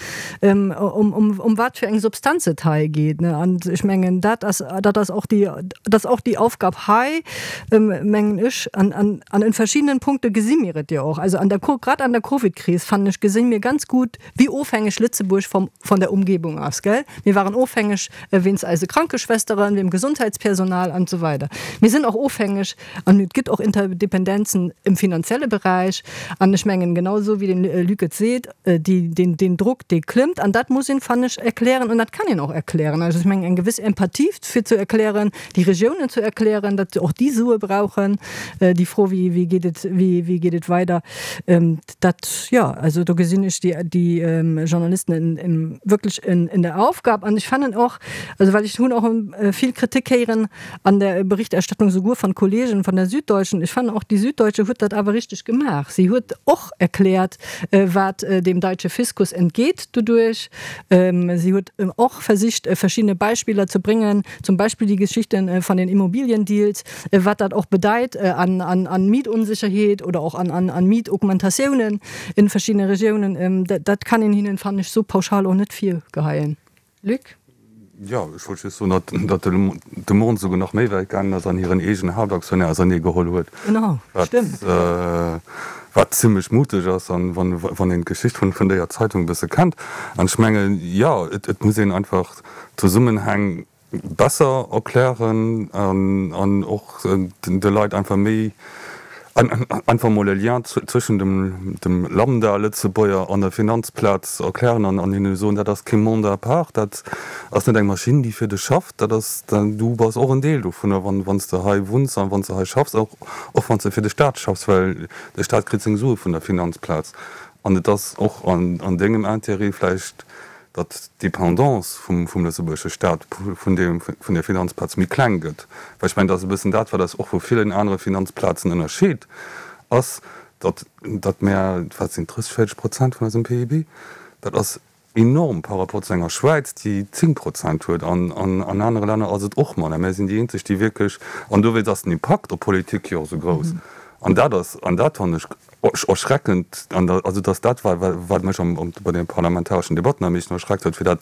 ähm, um, um, um wat fir eng Substanz et hei geet. Ne? An ech mengen dat ass, dat ass och die, dat ass och die Aufgab hei, ähm, mengen ech, an, an, an in verschiedenen Punkte gesi mir et jo och. Also an der, grad an der Covid-Kris fand ech, gesi mir ganz gut, wéi ofhängeg Lëtzebuerg vom, von der Umgebung ass, gell? Mir waren ofhängeg wéinst eise Krankeschwesteren, dem Gesundheitspersonal an so weiter. Mir sinn och ofhängeg an et gëtt och Interdependenzen im finanzielle Bereich an ech mengen genauso wéi den Luc et seet, déi, den, den Druck, dee klëmmt an dat muss een, fand ech, erklären und dat kann een och erklären. Also ech mengen eng gewiss Empathie fir ze erklären, déi Regiounen ze erklären, datt och déi Sue brauchen, déi Fro, wéi, wéi geet et, wéi, wéi geet et weider, dat, jo, also do gesinn ech déi, déi Journalisten in, in, wierklech in, in der Aufgab an ech fannen och, also well ech hunn och vill Kritik héieren an der Berichterstattung souguer von Kollegen von der Süddeutschen, ech fannen och déi Süddeutsche huet dat awer richteg gemaach, si huet och erkläert, wat dem deutsche Fiskus entgeht doduerch, si huet och versicht verschiedene Beispiller ze bréngen, zum Beispill déi Geschichten von den Immobiliendeals, wat dat och bedeit an, an, an Mietunsicherheet oder och an, an, an Mietaugmentatiounen in verschiedene Regiounen, dat, dat kann een hinnen, fannen ech, sou pauschal och net virgeheien. Luc? Jo, ech wollt just soen, datt, datt de Monde souguer nach méi wäit gaangen ass an hiren eegenen Haaptaktionär ausernee geholl huet. Genau, stimmt. Wat, wat zimlech muteg ass, an wann, wann een d'Geschicht vun, vun déier Zeitung e bësse kennt. An ech mengen, jo, et, et muss een einfach d'Zesummenhäng besser erklären an, an och de Leit einfach méi Einfach mol e Lien zwëschen dem dem Lambda-Lëtzebuerger an der Finanzplaz erklären an an hinne soen, dat ass kee Monde à part, dat ass net eng Maschinn, déi fir dech schafft, dat ass, du bass och en Deel dovunner, wann wann s de hei wunns an wann s de hei schaffs, och och wann s de fir de Staat schaffs, well de Staat kritt seng Sue vun der Finanzplaz. An et ass och an an dengem Intérêt vläicht, datt d'Dépendance vum vum lëtzebuergesche Staat vun deem vun der Finanzplaz méi kleng gëtt. Well ech mengen, dat ass e bëssen dat, wat eis och vu villen anere Finanzplazen ënnerscheet, ass, datt datt mär, wat sinn drësseg, véierzeg Prozent vun eisem P I B, dat ass enorm par rapport zu enger Schwäiz, déi zéng Prozent huet, an an an anere Länner ass et och manner. Mär sinn déi eenzeg, déi wierklech, an dowéinst ass den Impakt op Politik jo och esou grouss. An dat ass, an dat fannen ech erschreckend, an da, also dass dat war, wat mech am, bei de parlamentareschen Debatten am meeschten erschreckt huet, fir dat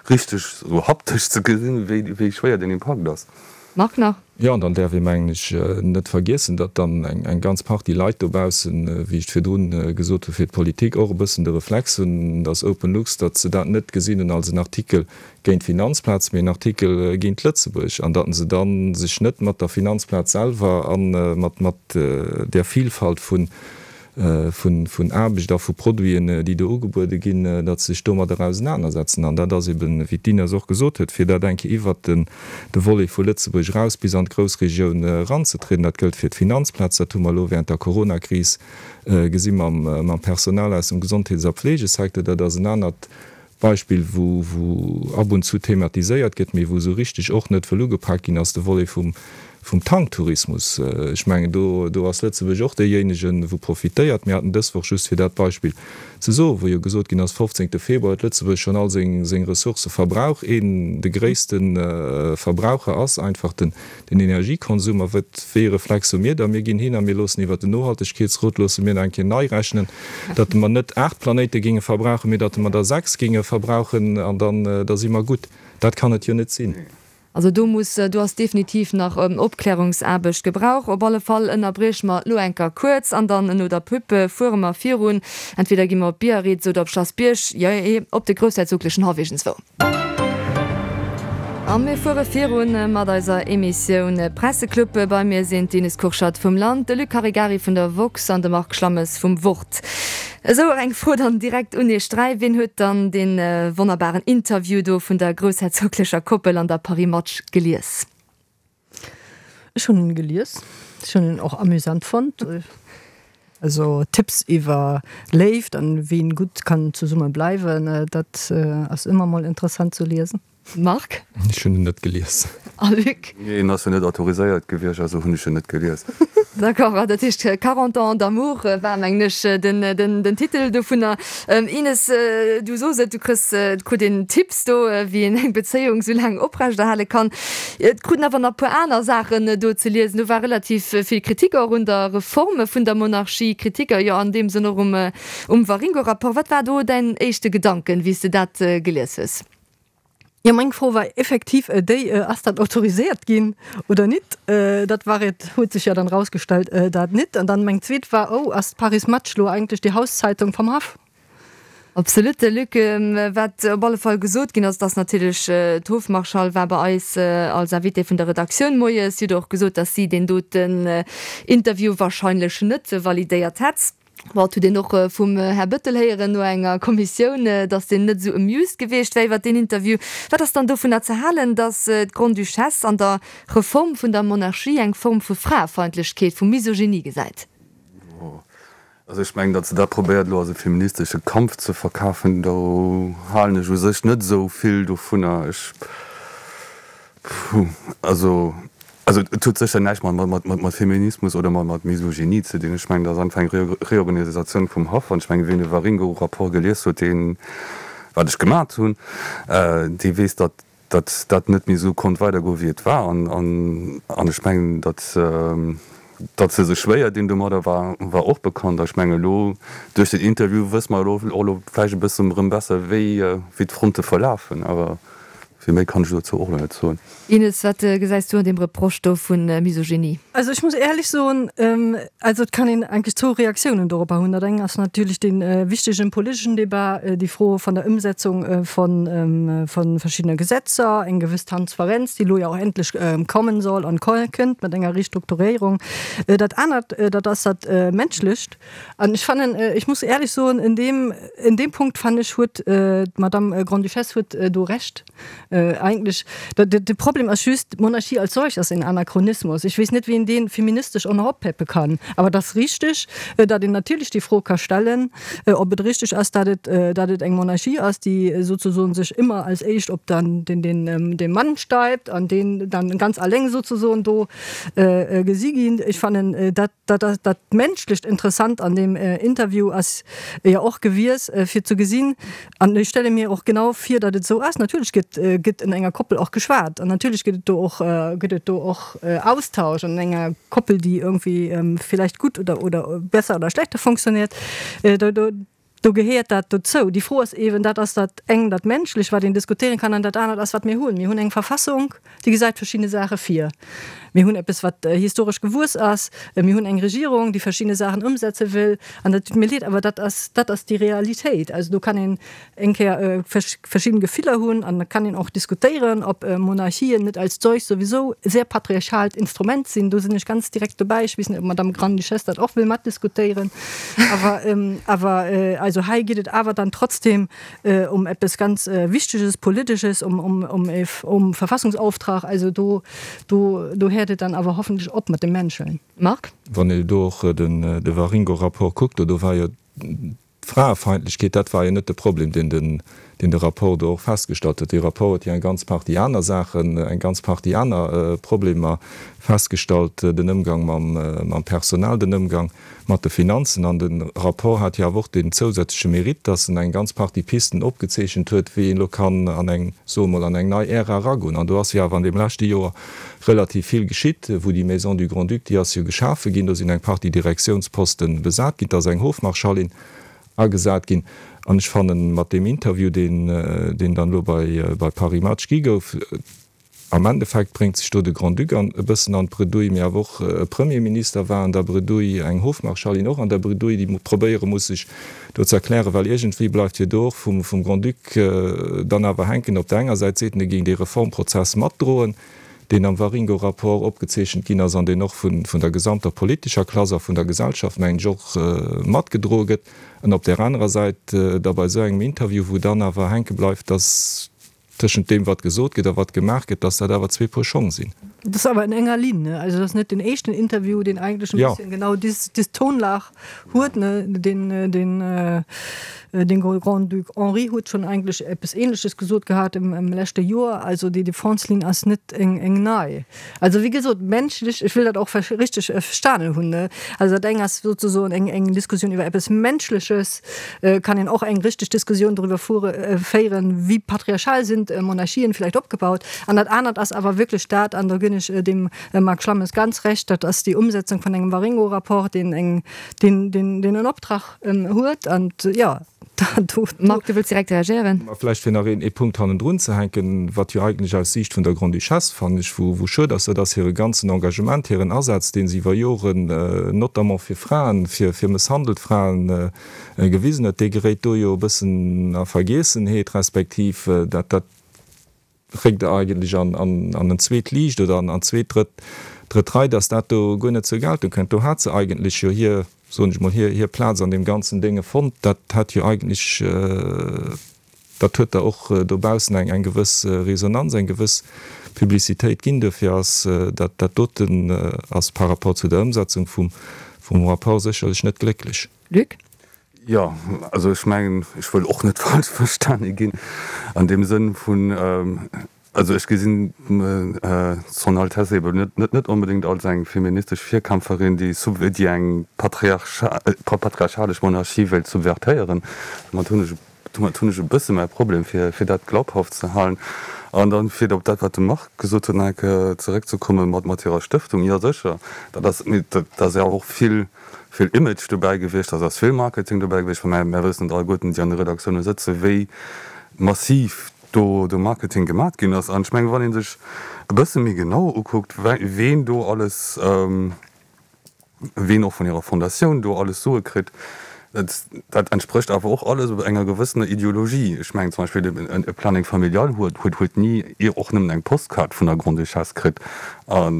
richteg esou haptesch ze gesinn, wéi, wéi schwéier deen Impakt ass. Marc, nach? Jo, an dann däerf ee, mengen ech, net vergiessen, datt dann eng, eng ganz Partie Leit dobaussen, wéi ech et virdrun gesot hu fir d'Politik, och e bëssen de Reflex hunn, datt OpenLux, datt se dat net gesinn hunn als en Artikel géint d'Finanzplaz, mee en Artikel géint Lëtzebuerg, an datt se da sech net mat der Finanzplaz selwer a mat mat där Vielfalt vun vun Aarbecht a vu Produiten, déi do ugebuede ginn, datt se sech domadder ausenanersetzen. An dat ass eben, wéi d'Ines och gesot huet, fir dat eng Kéier iwwert den de Volet vu Lëtzebuerg eraus bis an d'Groussregioun eranzetrieden. Dat gëllt fir d'Finanzplaz, dat hu mer elo während der Coronakris gesi mam mam Personal aus dem Gesondheets a Pflegesecteur. Dat ass en anert Beispill, wou wou ab und zu thematiséiert gëtt, mee wou esou richteg och net wëll ugepak ginn, ass de Volet vum vum Tanktourismus. Ech mengen, do do ass Lëtzebuerg och deejéinegen, wou profitéiert. Mir haten dës Woch, just fir dat Beispill ze soen, wou jo gesot ginn ass, fofzéngte Februar huet Lëtzebuerg schonn all seng seng Ressourcë verbrauch. Een, de gréisste Verbraucher ass einfach den den Energiekonsum. A wat, wéi e Reflex hu mir da? Mir ginn hin a mir loossen iwwert den Nohaltegkeetsrot loosse mir nach eng Kéier nei rechnen, datt mer net aacht Planéite géinge verbrauchen, mee datt mer der sechs géinge verbrauchen, an dann da si mer gutt. Dat kann et jo net sinn. Also do muss, do ass definitiv nach Opklärungsaarbecht gebrauch. Op alle Fall ënnerbrieche mer elo enker kuerz an dann no der Pub fuere mer virun. Entweder gi mer op Biarritz oder op Schlass Bierg, jee, op de groussherzoglechen Haff iergendswou. A mir fuere virun mat eiser Emissioun Presseclub. Bei mir sinn d'Ines Kurschat vum Land, de Luc Caregari vun der woxx an de Marc Schlammes vum Wort. Esou, eng Fro dann direkt un iech dräi, Wien huet dann dee wonnerbaren Interview do vun der groussherzoglecher Koppel an der Paris Match gelies? Ech hunn en gelies. Ech hunn en och amüsant fonnt. Also Tipps iwwer Léift an wéi een gutt kann zesumme bleiwen, dat ass ëmmer mol interessant ze liesen. Marc? Ech hunn en net gelies. A Luc? Nee, en ass jo net autoriséiert gewiescht, also hunn ech en net gelies. D'accord, dat heescht quarante ans d'amour war, mengen ech, den, den, den Titel dovunner. Ines, du sos et, du kriss, krut een Tipps do, wéi een eng Bezéiung sou laang oprechterhale kann. Et kruten awer nach e puer aner Saachen do ze liesen. Do war relativ vill Kritik och un der Reform vun der Monarchie, Kritiker, jo an deem Sënn och um, um Waringo-Rapport. Wat war do däin éischte Gedanken, wéi s de dat gelies hues? Jo, meng Fro war effektiv déi, Ass dat autoriséiert ginn oder nit? Dat war et, huet sech jo dann rausgestellt, dat nit. An dann meng zweet war, Oh, ass d'Paris Match lo eigentlech déi Hauszeitung vam Haff? Absolut, Luc. Wat op alle Fall gesot ginn ass, dass natierlech d'Hofmarschall war bei eis als Invitée vun der Redaktioun moies. Si huet och gesot, dass si deen doten Interview wahrscheinlech net validéiert hätt. Bon, et huet een och vum Här Bettel héieren no enger Kommissioun, datt deen net esou amused gewiescht wär iwwer deen Interview. Wat ass dann dovunner ze halen, datt d'Grande-Duchesse an der Reform vun der Monarchie eng Form vu Fraefeindlechkeet, vu Misogynie gesäit? Also ech mengen, datt se dat probéiert elo als e feministesche Kampf ze verkafen, do halen ech u sech net esou vill dovunner. Ech, puh, also. Also et huet sécher näischt mat Feminismus oder mat Misogynie ze dinn. Ech mengen, dat ass einfach eng Reorganisatioun vum Haff. An ech mengen, wien de Waringo-Rapport gelies huet, deen, wat ech gemat hunn, dee weess, datt dat net méi esou konnt weidergoen, wéi et war. An ech mengen, datt datt se sech schwéier dinn domadder, war war och bekannt. A ech mengen, elo duerch den Interview wësse mer elo och elo vläicht e bëssen erëm besser, wéi wéi d'Fronte verlafen. Awer Vill méi kann ech dozou och elo net soen. Ines, wat gesäis du an deem Reproche do vu Misogynie? Also ech muss éierlech soen, also et kann een eigentlech zwou Reaktiounen dorobber hunn. Dat eng ass natierlech dee wichtegen politeschen Debat, déi Fro vun der Ëmsetzung vu verschiddene Gesetzer, eng gewëss Transparenz, déi elo jo och endlech kommen soll an kënnt mat enger Restrukturéierung. Dat anert, dat ass dat Menschlecht. An ech fannen, ech muss éierlech soen, in deem, in deem Punkt fannen ech huet d'Madame Grande-Duchesse huet do Recht. Eigentlech, de Problem ass just, d'Monarchie als solch ass en Anachronismus. Ech weess net, wéi een dee feministesch och nach oppeppe kann. Awer et ass richteg, datt een natierlech déi Fro ka stellen, ob et richteg ass, datt et, datt et eng Monarchie ass, déi sozesoen sech ëmmer als éischt op dann den, den, de Mann stäipt an deen dann ganz alleng sozesoen do gesi ginn. Ech fannen, dat, dat ass dat Menschlecht interessant an deem Interview ass jo och gewies, fir ze gesinn, an ech stelle mir och genau vir, datt et esou ass, natierlech gëtt, gëtt an enger Koppel och geschwat an natierlech gëtt et do och, gëtt et do och Austausch an enger Koppel, déi irgendwie vielleicht gutt oder, oder besser oder schlechter funktioniert. Do, do, do gehéiert dat dozou. Déi Fro ass eeben, dat ass dat eng, dat Menschlech, wat een diskutéieren kann, an dat anert ass, wat mir hunn. Mir hunn eng Verfassung, déi gesäit verschidde Saache vir. Mir hunn eppes, wat historesch gewuess ass. Mir hunn eng Regierung, déi verschidde Saachen ëmsetze wëll. An dat tut mir leed, awer dat ass, dat ass déi Realitéit. Also do kann een eng Kéier verschidden Gefiller hunn an da kann een och diskutéieren, ob Monarchien net als solch souwisou e sehr patriarchalt Instrument sinn. Do sinn ech ganz direkt dobäi. Ech weess net, ob d'Madame Grande-Duchesse dat och wëll matdiskutéieren. Awer, awer also hei geet et awer dann trotzdem um eppes ganz Wichteges, Politesches, um, um, um, um Verfassungsauftrag. Also do, do, do héiert et dann awer hoffentlech op mat dem Menscheln. Marc? Wann ee do och den, de Waringo-Rapport kuckt, do war jo d'Fraefeindlechkeet, dat war jo net de Problem, deen den, deen de Rapport do och festgestallt huet. Dee Rapport huet jo eng ganz Partie aner Saachen, eng ganz Partie aner Problemer festgestallt, den Ëmgang mam, mam Personal, den Ëmgang mat de Finanzen. An de Rapport hat jo awer och deen zousätzleche Mérite, dass en eng ganz Partie Pisten opgezeechent huet, wéi een elo kann an eng, soe mol, an eng nei Ära eragoen. An do ass jo awer an deem leschte Joer relativ vill geschitt, wou déi Maison du Grand-Duc, déi ass jo geschafe ginn, do sinn eng Partie Direktiounsposte besat ginn, et ass eng Hofmarschallin agesat ginn. An ech fannen, mat deem Interview, deen, deen dann elo bei, bei Paris Match gi gouf, am Endeffekt bréngt sech do de Grand-Duc an e bëssen an d'Bredouille, mee awer och e Premierminister war an der Bredouille, eng Hofmarschallin och an der Bredouille, déi probéiere muss, sech do ze erklären, well iergendwéi bleift jo do och vum, vum Grand-Duc dann awer hänken, op der enger Säit seet en, e géing dee Reformprozess matdroen, deen am Waringo-Rapport opgezeechent ginn ass an deen och vun, vun der gesamter politescher Klass a vun der Gesellschaft, mengen ech, och matgedroe gëtt, an op där anerer Säit da bei esou engem Interview, wou dann awer hänke bleift, dass tëschent deem, wat gesot gëtt a wat gemaach gëtt, dass dat awer zwee Puer Schong sinn. Dat ass awer in enger Linn, ne? Also dat ass net den éischten Interview, deen eigentlech e bësschen genau dis, dis Tonlag huet, ne? Den, den, den Grand-Duc Henri huet schonn eigentlech eppes Ähnleches gesot gehat im, im leschte Joer. Also déi Défense-Linn ass net eng, eng nei. Also wéi gesot, menschlech, ech wëll dat och richteg verstanen hunn, ne? Also dat eng ass sozesoen eng, eng Diskussioun iwwer eppes Menschleches, kann een och eng richteg Diskussioun doriwwer fuere, féieren, wéi patriarchal sinn d'Monarchien vielleicht opgebaut. An dat anert ass awer wierklech dat, an do ginn ech dem Marc Schlammes ganz Recht, dat ass déi Umsetzung vun engem Waringo-Rapport, deen eng, deen, deen, deen en Optrag huet. An jo, do. Marc, du wëlls direkt reagéieren? Ma vläicht fir nach een ee Punkt hannendrun ze hänken, wat jo eigentlech aus Siicht vun der Grande-Duchesse, fannen ech, wou, wou schued ass, dat ass hire ganzen Engagement, hiren Asaz, dee se iwwer Joren, notamment fir Fraen, fir, fir mësshandelt Fraen, gewisen huet, dee geréit do jo e bëssen a Vergiessenheet, respektiv dat, dat réckt eigentlech an, an, an en zweet Liicht oder an, an zweet, drëtt, drëtt Rei, dass dat do guer net zur Geltung kënnt. Do hat se eigentlech jo hir, soen ech mol, hir, hir Plaz an deem ganzen Dénge fonnt. Dat hat jo eigentlech, dat huet der och dobaussen eng, eng gewëss Resonanz, eng gewëss Publicitéit ginn. Dofir ass dat, dat doten ass par rapport zu der Ëmsetzung vum, vum Rapport sécherlech net glécklech. Luc? Jo, also ech mengen, ech wëll och net falsch verstane ginn an deem Sënn vun, also ech gesinn Son Altesse eben net, net, net onbedéngt als eng feministesch Virkämpferin, déi sub, déi eng patriarchalesch Monarchie wéilt subvertéieren. Domat hunn ech, domat hunn ech e bësse mäi Problem, fir, fir dat glaubhaft ze halen. An dann, fir op dat, wat de Marc gesot huet, nach eng Kéier zeréckzekommen, mat, mat hirer Stëftung, jo sécher, dat ass, mee dat ass jo och vill, vill Image dobäi gewiescht, dat ass vill Marketing dobäi gewiescht, well mär, mär wëssen et alleguerten, déi an de Redaktioune sëtzen, wéi massiv do do Marketing gemat ginn ass. An ech mengen, wann ee sech e bësse méi genau ukuckt, ween do alles, ween och vun hirer Fondatioun do alles Sue kritt, dat dat entsprécht awer och alles enger gewëssener Ideologie. Ech mengen zum Beispill e Planning familial huet huet huet ni och nëmmen eng Postkaart vun der Grande-Duchesse kritt. A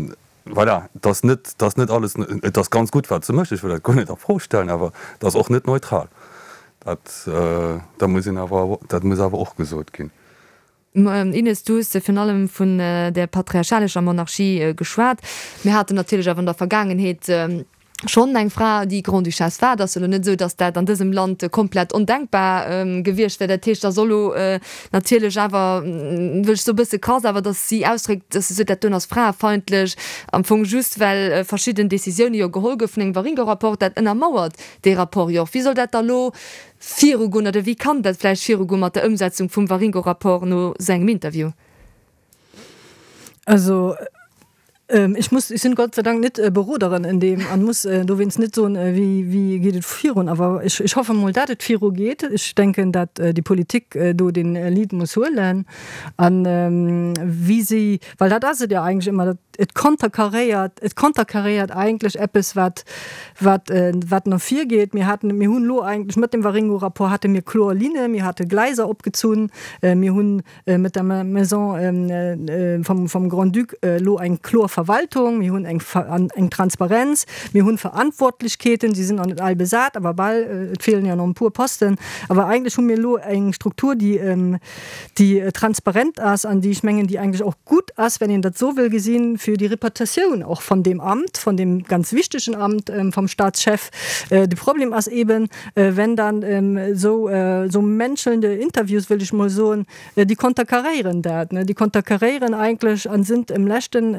voilà, et ass net, et ass net alles, et ass ganz gutt wat se mécht, ech wëll dat guer net a Fro stellen, awer et ass och net neutral. Dat dat muss een awer, dat muss awer och gesot ginn. Ines, du hues virun allem vun där patriarchalescher Monarchie geschwat. Mir haten natierlech awer an der Vergaangenheet schonn eng Fra, déi Grande-Duchesse war. Et ass jo elo net esou, datt dat an dësem Land komplett ondenkbar gewiescht wär. Dat heescht, da soll elo natierlech awer, wëll ech soe bësse krass, awer datt si ausdréckt, datt se sot, dat doen ass fraefeindlech, am Fong just well verschidden Décisioune jo geholl goufen an engem Waringo-Rapport. Dat ënnermauert dee Rapport jo och. Wéi soll dat da elo virugoen oder wéi kann dat vläicht virugoen mat der Ëmsetzung vum Waringo-Rapport no sou engem Interview? Also ech muss, ech sinn Gott sei Dank net Beroderin in deem an muss dowéinst net soen, wéi wéi geet et virun. Awer ech ech hoffe mol, dat et viru geet. Ech denken, dat déi Politik do den Lead muss huelen an wéi si, well dat ass et jo eigentlech ëmmer, dat et konterkaréiert, et konterkaréiert eigentlech eppes wat wat wat no vir geet. Mir haten, mir hunn elo eigentlech mat dem Waringo-Rapport hate mir kloer Linne, mir hate Gleiser opgezunn, mir hunn mat der Maison vom vom Grand-Duc elo eng kloer Verwaltung, mir hunn eng eng Transparenz, mir hunn Verantwortlechkeeten, se sinn nach net all besat, awer bal, et feelen jo nach e puer Posten, awer eigentlech hu mir elo eng Struktur, déi déi transparent ass an déi, ech mengen, déi eigentlech och gutt ass, wenn een dat esou wëll gesinn, fir déi Reputatioun och von deem Amt, von deem ganz wichtegen Amt vom Staatschef. De Problem ass eben, wenn dann esou esou menschelnde Interviews, wëll ech mol soen, déi konterkaréieren dat, déi konterkaréieren eigentlech an sind im leschten,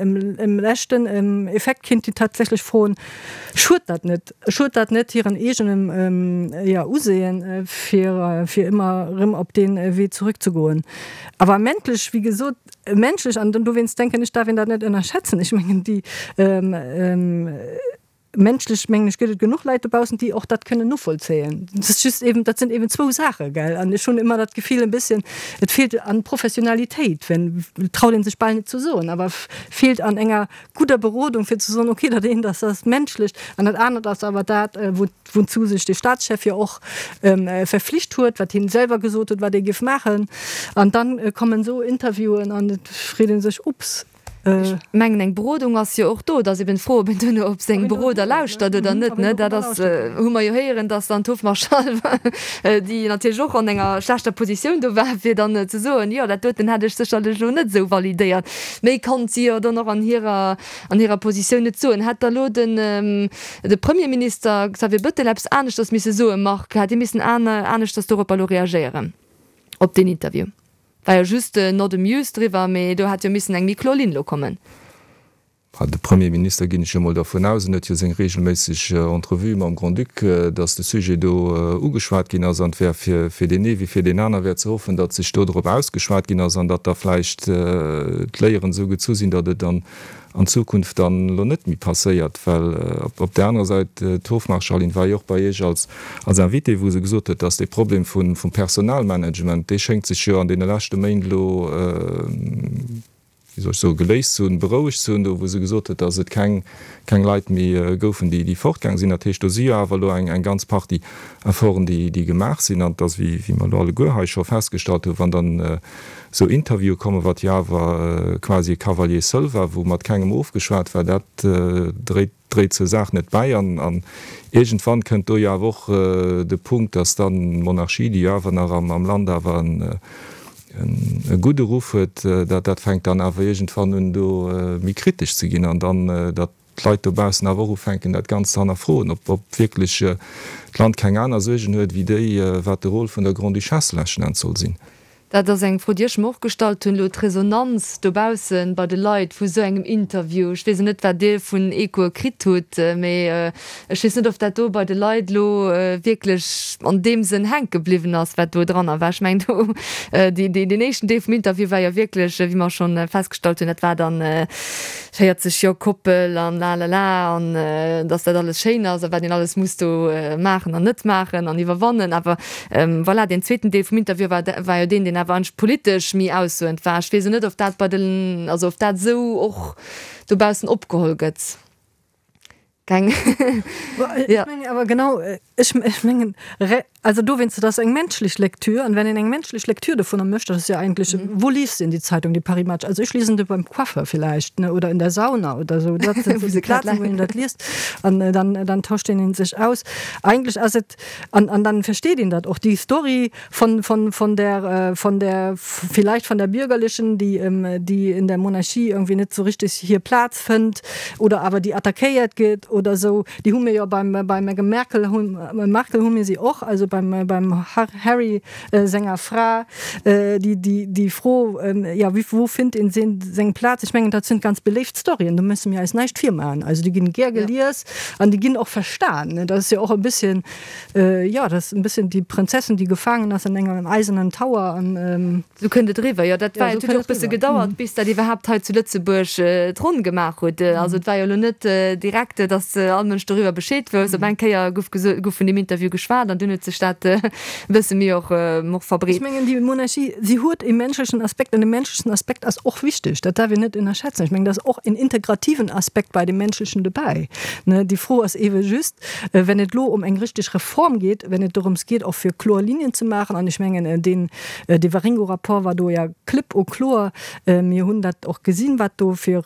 im leschten Effekt kinnt een tatsächlech froen, Schued dat net, schued dat net hiren eegenem, jo, Usehen, fir fir ëmmer erëm op dee Wee zurückzegoen? Awer menschlech, wéi gesot, menschlech, an dowéinst denken ech, darf een dat net ënnerschätzen, ech mengen déi menschlech, mengen ech, gëtt et genuch Leit dobaussen, déi och dat kënnen novollzéien. Dat ass just eben, dat sinn eben zwou Saache, gell. An ech hunn ëmmer dat Gefill e bësschen, et feelt an Professionalitéit, wenn, traut ee sech bal net ze soen, awer feelt an enger gudder Berodung, fir ze soen, okay, dat eent ass dat Menschlecht an dat anert ass awer dat, wou, wouzou sech de Staatschef jo och verflicht huet, wat hien selwer gesot huet, wat e géif maachen. An dann kommen esou Interviewen an et freet ee sech, Ups. Ech mengen, eng Berodung ass jo och do. Et ass eben d'Fro, ob een duerno op seng Beroder lauschtert oder net, ne? Dat ass, hu mer jo héieren, dass dann d'Hofmarschall, déi natierlech och an enger schlechter Positioun do war, fir dann ze soen, jo, dat doten hätt ech sécherlech elo net esou validéiert. Méi konnt si jo dann och an hirer, an hirer Positioun net soen. Hätt da elo den, de Premierminister Xavier Bettel eppes aneschters misse soen, Marc? Hätt hie missen aneschters doropper elo reagéieren, op deen Interview? War jo just not amused driwwer, mee do hätt jo missen eng méi kloer Linn elo kommen. De Premierminister, ginn ech jo mol dervun aus, en huet jo seng regelméisseg Entrevuë mam Grand-Duc, datt de Sujet do ugeschwat ginn ass. An et wär fir fir deen ee wéi fir deen aner wär ze hoffen, datt sech do drop ausgeschwat ginn ass an datt da vläicht d'Léieren esou gezu sinn, datt et dann an Zukunft dann elo net méi passéiert, well op där anerer Säit, d'Hofmarschallin war jo och bei Iech als als Invitée, wou se gesot huet, dass dee Problem vum vum Personalmanagement, dee schéngt sech jo an deene leschte Méint elo, wéi soll ech soen, geléist ze hunn, berouegt ze hunn, do wou se gesot huet, dass et keng keng Leit méi goufen, déi déi fortgaang sinn. Dat heescht, do si jo awer elo eng eng ganz Partie Efforten, déi déi gemaach sinn. An et ass, wéi wéi mer elo alleguer hei scho festgestallt hunn, wann dann Sou Interviewe kommen, wat jo awer quasi e Cavalier seul war, wou mat kengem ofgeschwat war, dat dréit dréit zur Saach net bäi. An an iergendwann kënnt do jo awer och de Punkt, datt dann d'Monarchie, déi jo awer nach am am Land awer en e gudde Ruff huet, dat dat fänkt dann awer iergendwann un do méi kritesch ze ginn an dann datt d'Leit dobaussen awer och ufänken dat Ganzt ze hannerfroen, ob ob wierklech d'Land keng aner Suergen huet wéi déi, wat de Rôle vun der Grande-Duchesse leschten Enns soll sinn. Dat ass eng Fro, déi ech mer och gestallt hunn, elo d'Resonanz dobausse bei de Leit vu sou engem Interview. Ech weess net, wat Dir vun Echoe kritt hutt, mee ech weess net, ob dat do bei de Leit elo wierklech an deem Sënn hänke bliwwen ass, wat do dranner war. Ech mengen do, deen éischten Deel vum Interview war jo wierklech, wéi mer schonn festgestallt hunn, dat war dann véierzeg Joer Koppel an lalala an dass dat alles schéin ass a wat een alles muss do maachen an net maachen an iwwerwannen. Awer voilà, deen zweeten Deel vum Interview war, war jo deen, deen awer eigentlech politesch méi aussoend war. Ech weess net, ob dat bei den, also ob dat esou och dobaussen opgeholl gëtt. Keng. Ja. Ech mengen awer genau, ech, ech mengen, also dowéinst, dat ass eng menschlech Lektür, an wenn een eng menschlech Lektür dovunner mécht, dat ass jo eigentlech, wou liest een déi Zeitung, déi Paris Match? Also ech liesen déi beim Coiffer vielleicht, ne, oder in der Sauna oder sou, dat sinn esou déi Plazen, wou een dat liest, an dann, dann tauscht een een sech aus. Eigentlech ass et, an, an dann versteet een dat och, déi Story von, von, von der, von der, vielleicht von der Bürgerlichen, déi, déi in der Monarchie irgendwie net sou richtig hir Plaz fënnt oder awer déi attackéiert gëtt oder sou, déi hu mir jo beim, beim Meghan Merkel, Markle hu mir si och, also beim, beim Harry senger Fra, déi, déi, déi Fro, jo, wéi, wou fënnt een seng Plaz? Ech mengen, dat sinn ganz beléift Storyen, do musse mir eis näischt virmaachen. Also déi ginn gär gelies an déi ginn och verstan. Dat ass jo och e bësschen, jo, dat ass e bësschen déi Prinzessin, déi gefaangen ass an engem eisernen Tower an. Sou kënnt et eriwwer, jo. Dat war, et huet jo och e bësse gedauert, bis dat iwwerhaapt hei zu Lëtzebuerg d'Ronn gemaach huet. Also et war jo elo net direkt, datt all Mënsch doriwwer Bescheed wousst. Op eng Kéier gouf geso, gouf vun deem Interview geschwat an dunn huet sech dat e bësse méi och, och verbreet. Ech mengen, déi Monarchie, si huet e menschlechen Aspekt an de menschlechen Aspekt ass och wichteg. Dat darf een net ënnerschätzen. Ech mengen, da ass och en integrativen Aspekt bei dem Menschlechen dobäi. Ne, déi Fro ass eebe just, wenn et elo ëm eng richteg Reform geet, wenn et dorëms geet, och fir kloer Linien ze maachen, an ech mengen, deen, dee Waringo-Rapport war do ja klipp und kloer, mir hunn dat och gesinn, wat do fir,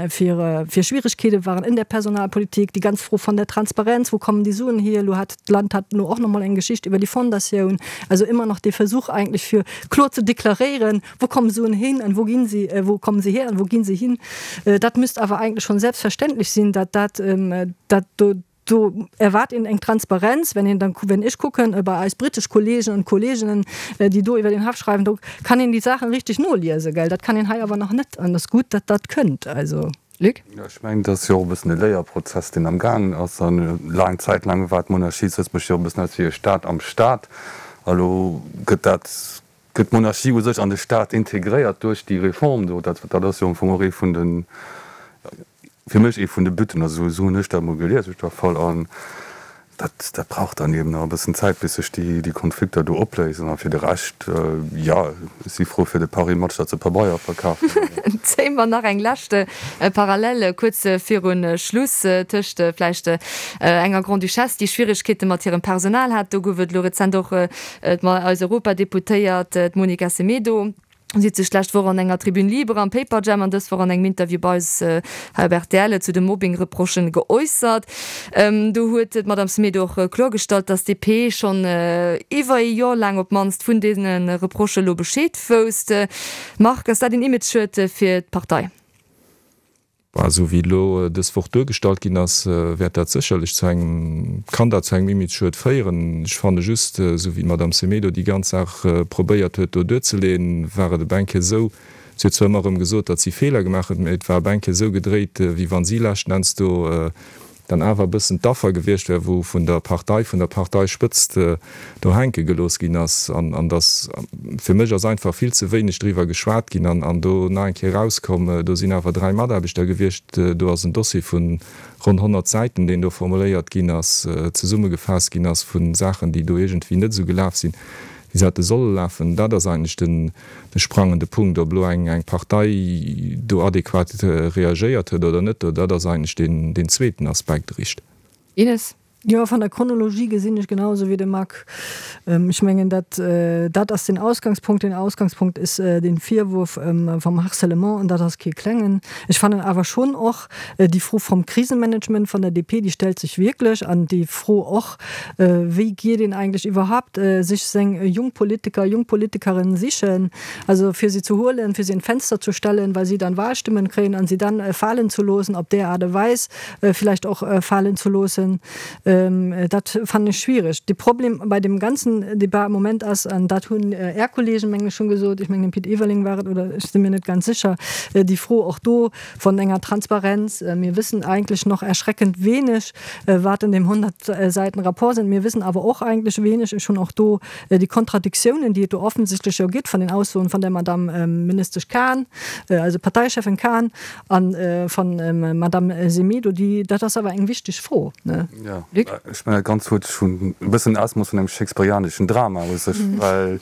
fir, fir Schwierigkeete waren in der Personalpolitik, déi ganz Fro von der Transparenz, wo kommen die Suen hier, elo hat d'Land hat elo och nach mol eng Geschicht iwwer déi Fondatioun, also immer noch dee Versuch eigentlech fir kloer ze deklaréieren, wo kommen Suen hin an wo ginn sie, wo kommen sie her an wo ginn sie hin. Dat müsst awer eigentlech schonn selbstverständlech sinn, dat dat, dat do, do erwaart een eng Transparenz, wenn een dann, wenn ech kucken bei eis britesch Kollegen und Kolleginnen, déi do iwwer den Haff schreiwen, do kann een déi Saachen richteg noliesen, gell, dat kann een hei awer nach net an et ass gutt, datt dat kënnt, also. Luc? Jo, ech mengen, et ass jo och e bëssen e Léierprozess, deen am gaangen ass. An laang Zäit laang war d'Monarchie zu Lëtzebuerg jo och e bëssen aus wéi e Staat am Staat. A lo gëtt dat, gëtt d'Monarchie u sech an de Staat integréiert duerch déi Reform do. Dat, dat ass jo am Fong och ee vun de, fir mech ee vun de Butten, also esou hunn ech dat emol gelies op jidder Fall. An dat, dat brauch dann eben nach e bëssen Zäit, bis sech déi, déi Konflikter do opléisen. A fir de Rescht, jo, ech si frou fir de Paris Match, datt se Pabeier verkafen. Zéie mer nach eng lescht Parallel kuerz viru Schluss tëscht vläicht enger Grande-Duchesse, déi Schwieregkeete mat hirem Personal hat. Do gouf et elo rezent och eis Europadeputéiert, d'Monica Semedo. Si huet sech d'lescht Woch an enger Tribune libre am Paperjam an dës Woch an engem Interview bei eis hei op rtl zu de Mobbing-Reprochen geäussert. Do huet d'Madame Semedo och kloergestallt, datt d'DP schonn iwwer ee Joer laang op d'mannst vun deene Reprochë lo Bescheed wousst. Marc, ass dat een Imageschued fir d'Partei? Esou wéi et elo dës Woch duergestallt ginn ass, wäert dat sécherlech zu engem, kann dat zu engem Imageschued féieren. Ech fanne just, esou wéi d'Madame Semedo déi ganz Saach probéiert huet do duerzeleeën, war et e Bänke esou, si huet zwar ëmmer erëm gesot, datt si Feeler gemaach huet, mä et war e Bänke esou gedréit, wéi wann si leschten Enns do dann awer e bëssen d'Affer gewiescht wär, wou vun der Partei, vun der Parteispëtzt do hänke gelooss ginn ass. An, an dass, fir mech ass einfach vill ze wéineg driwwer geschwat ginn an, an do nach eng Kéier erauskomm, do sinn awer dräi Mataarbechter gewiescht, do ass en Dossier vu ronn honnert Säiten, deen do formuléiert ginn ass, zesummegefaasst ginn ass vu Saachen, déi do iergendwéi net esou gelaf sinn, wéi se hätte solle lafen. Dat ass eigentlech den de sprangende Punkt. Ob elo eng eng Partei do adequat reagéiert huet oder net, dat ass eigentlech deen deen zweeten Aspekt eréischt. Ines. Jo, van der Chronologie gesinn ech genau esou wéi de Marc. Ech mengen, dat dat ass den Ausgangspunkt. Den Ausgangspunkt is den Virwurf vom Harcèlement, an dat ass kee klengen. Ech fannen awer schon och déi Fro vom Krisenmanagement van der D P, déi stellt sech wierklech, an déi Fro och, wéi geet een eigentlech iwwerhaapt sech seng jung Politiker, jung Politikerinnen sichen, also fir sie zu holen, fir sie in Fenster zu stellen, weil sie dann Wahlstimmen kréien an sie dann falen zu loossen, op där Aart a Weis vielleicht och falen zu loossen, dat fannen ech schwierig. De Problem bei dem ganzen Debat am Moment ass, an dat hunn Är Kollegen, mengen ech, schonn gesot, ech mengen den Pit Everling war et, oder ech si mir net ganz sécher, déi Fro och do von enger Transparenz, mir wissen eigentlich noch erschreckend wenig, wat in dem hundert Seiten Rapport sind. Mir wissen awer och eigentlich wenig, ech hunn och do déi Kontradiktiounen, déi et do offensichtlech jo gëtt, von den Aussoen von der Madame Ministesch Cahn, also Parteichefin Cahn, an von Madame Semedo, déi, dat ass awer eng wichteg Fro, ne? Ja. Luc? Luc? Ech mengen, dat Ganzt huet schonn e bëssen Ausmooss vun engem shakespearianeschen Drama u sech, well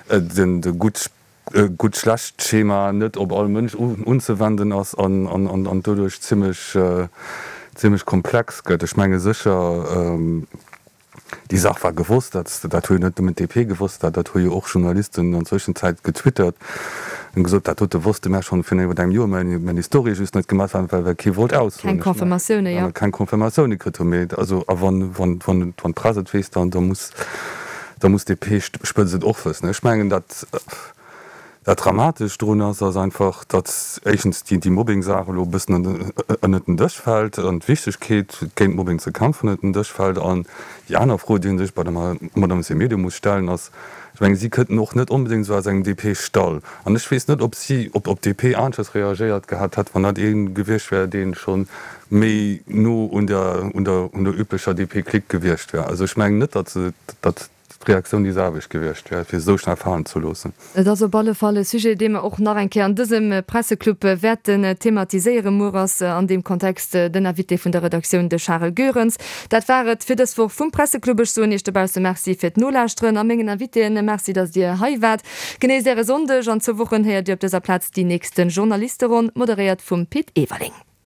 den de gutt Gutt-Schlecht-Schema net op all Mënsch unzewenden ass an doduerch zimmlech zimmlech komplex gëtt. Ech menge sécher, déi Saach war gewosst, dat dat hu jo net nëmmen d'DP gewosst, dat dat hu jo och Journalisten an Zwëschenzäit getwittert an gesot, dat dote wosste mär schonn virun iwwer engem Joer, mä mir hunn déi Story just net gemaach, well well kee wollt aussoen. Keng Confirmatioune, jo. Keng Confirmatioune kritt hu. Mee also a wann wann wann d'Press et weess, dann da muss da muss d'DP-Spëtzt et och wëssen. Ech mengen, dat dat Dramatescht drun ass, ass einfach, datt éischtens déi déi Mobbing-Saach elo e bëssen ënnert den Dësch fält an d'Wichtegkeet, géint Mobbing ze kämpfen, ënnert den Dësch fält. An déi aner Fro, déi ee sech bei der Madame Semedo muss stellen, ass, ech mengen, si kënnt och net onbedéngt esou aus engem DP-Stall. An ech weess net, ob si, ob ob d'DP aneschters reagéiert gehat hätt, wann dat ee gewiescht wär, dee scho méi no un der un der un der üblecher DP-Clique gewiescht wär. Also ech mengen net, datt se datt d'Reaktioun déi selwecht gewiescht wär, fir se esou schnell falen ze loossen. Et ass op alle Fall e Sujet, dee mer och nach eng Kéier an dësem Presseclub wäerten thematiséieren. Muer ass an deem Kontext den Invité vun der Redaktioun, de Charel Goerens. Dat war et fir dës Woch vum Presseclub. Ech soen Iech dobausse Merci fir d'Nolauschteren a mengen Invitéen Merci, datt Dir hei waart. Genéisst Äre Sonndeg. An zwou Wochen héiert Dir op dëser Plaz déi nächste Journalisteronn, moderéiert vum Pit Everling.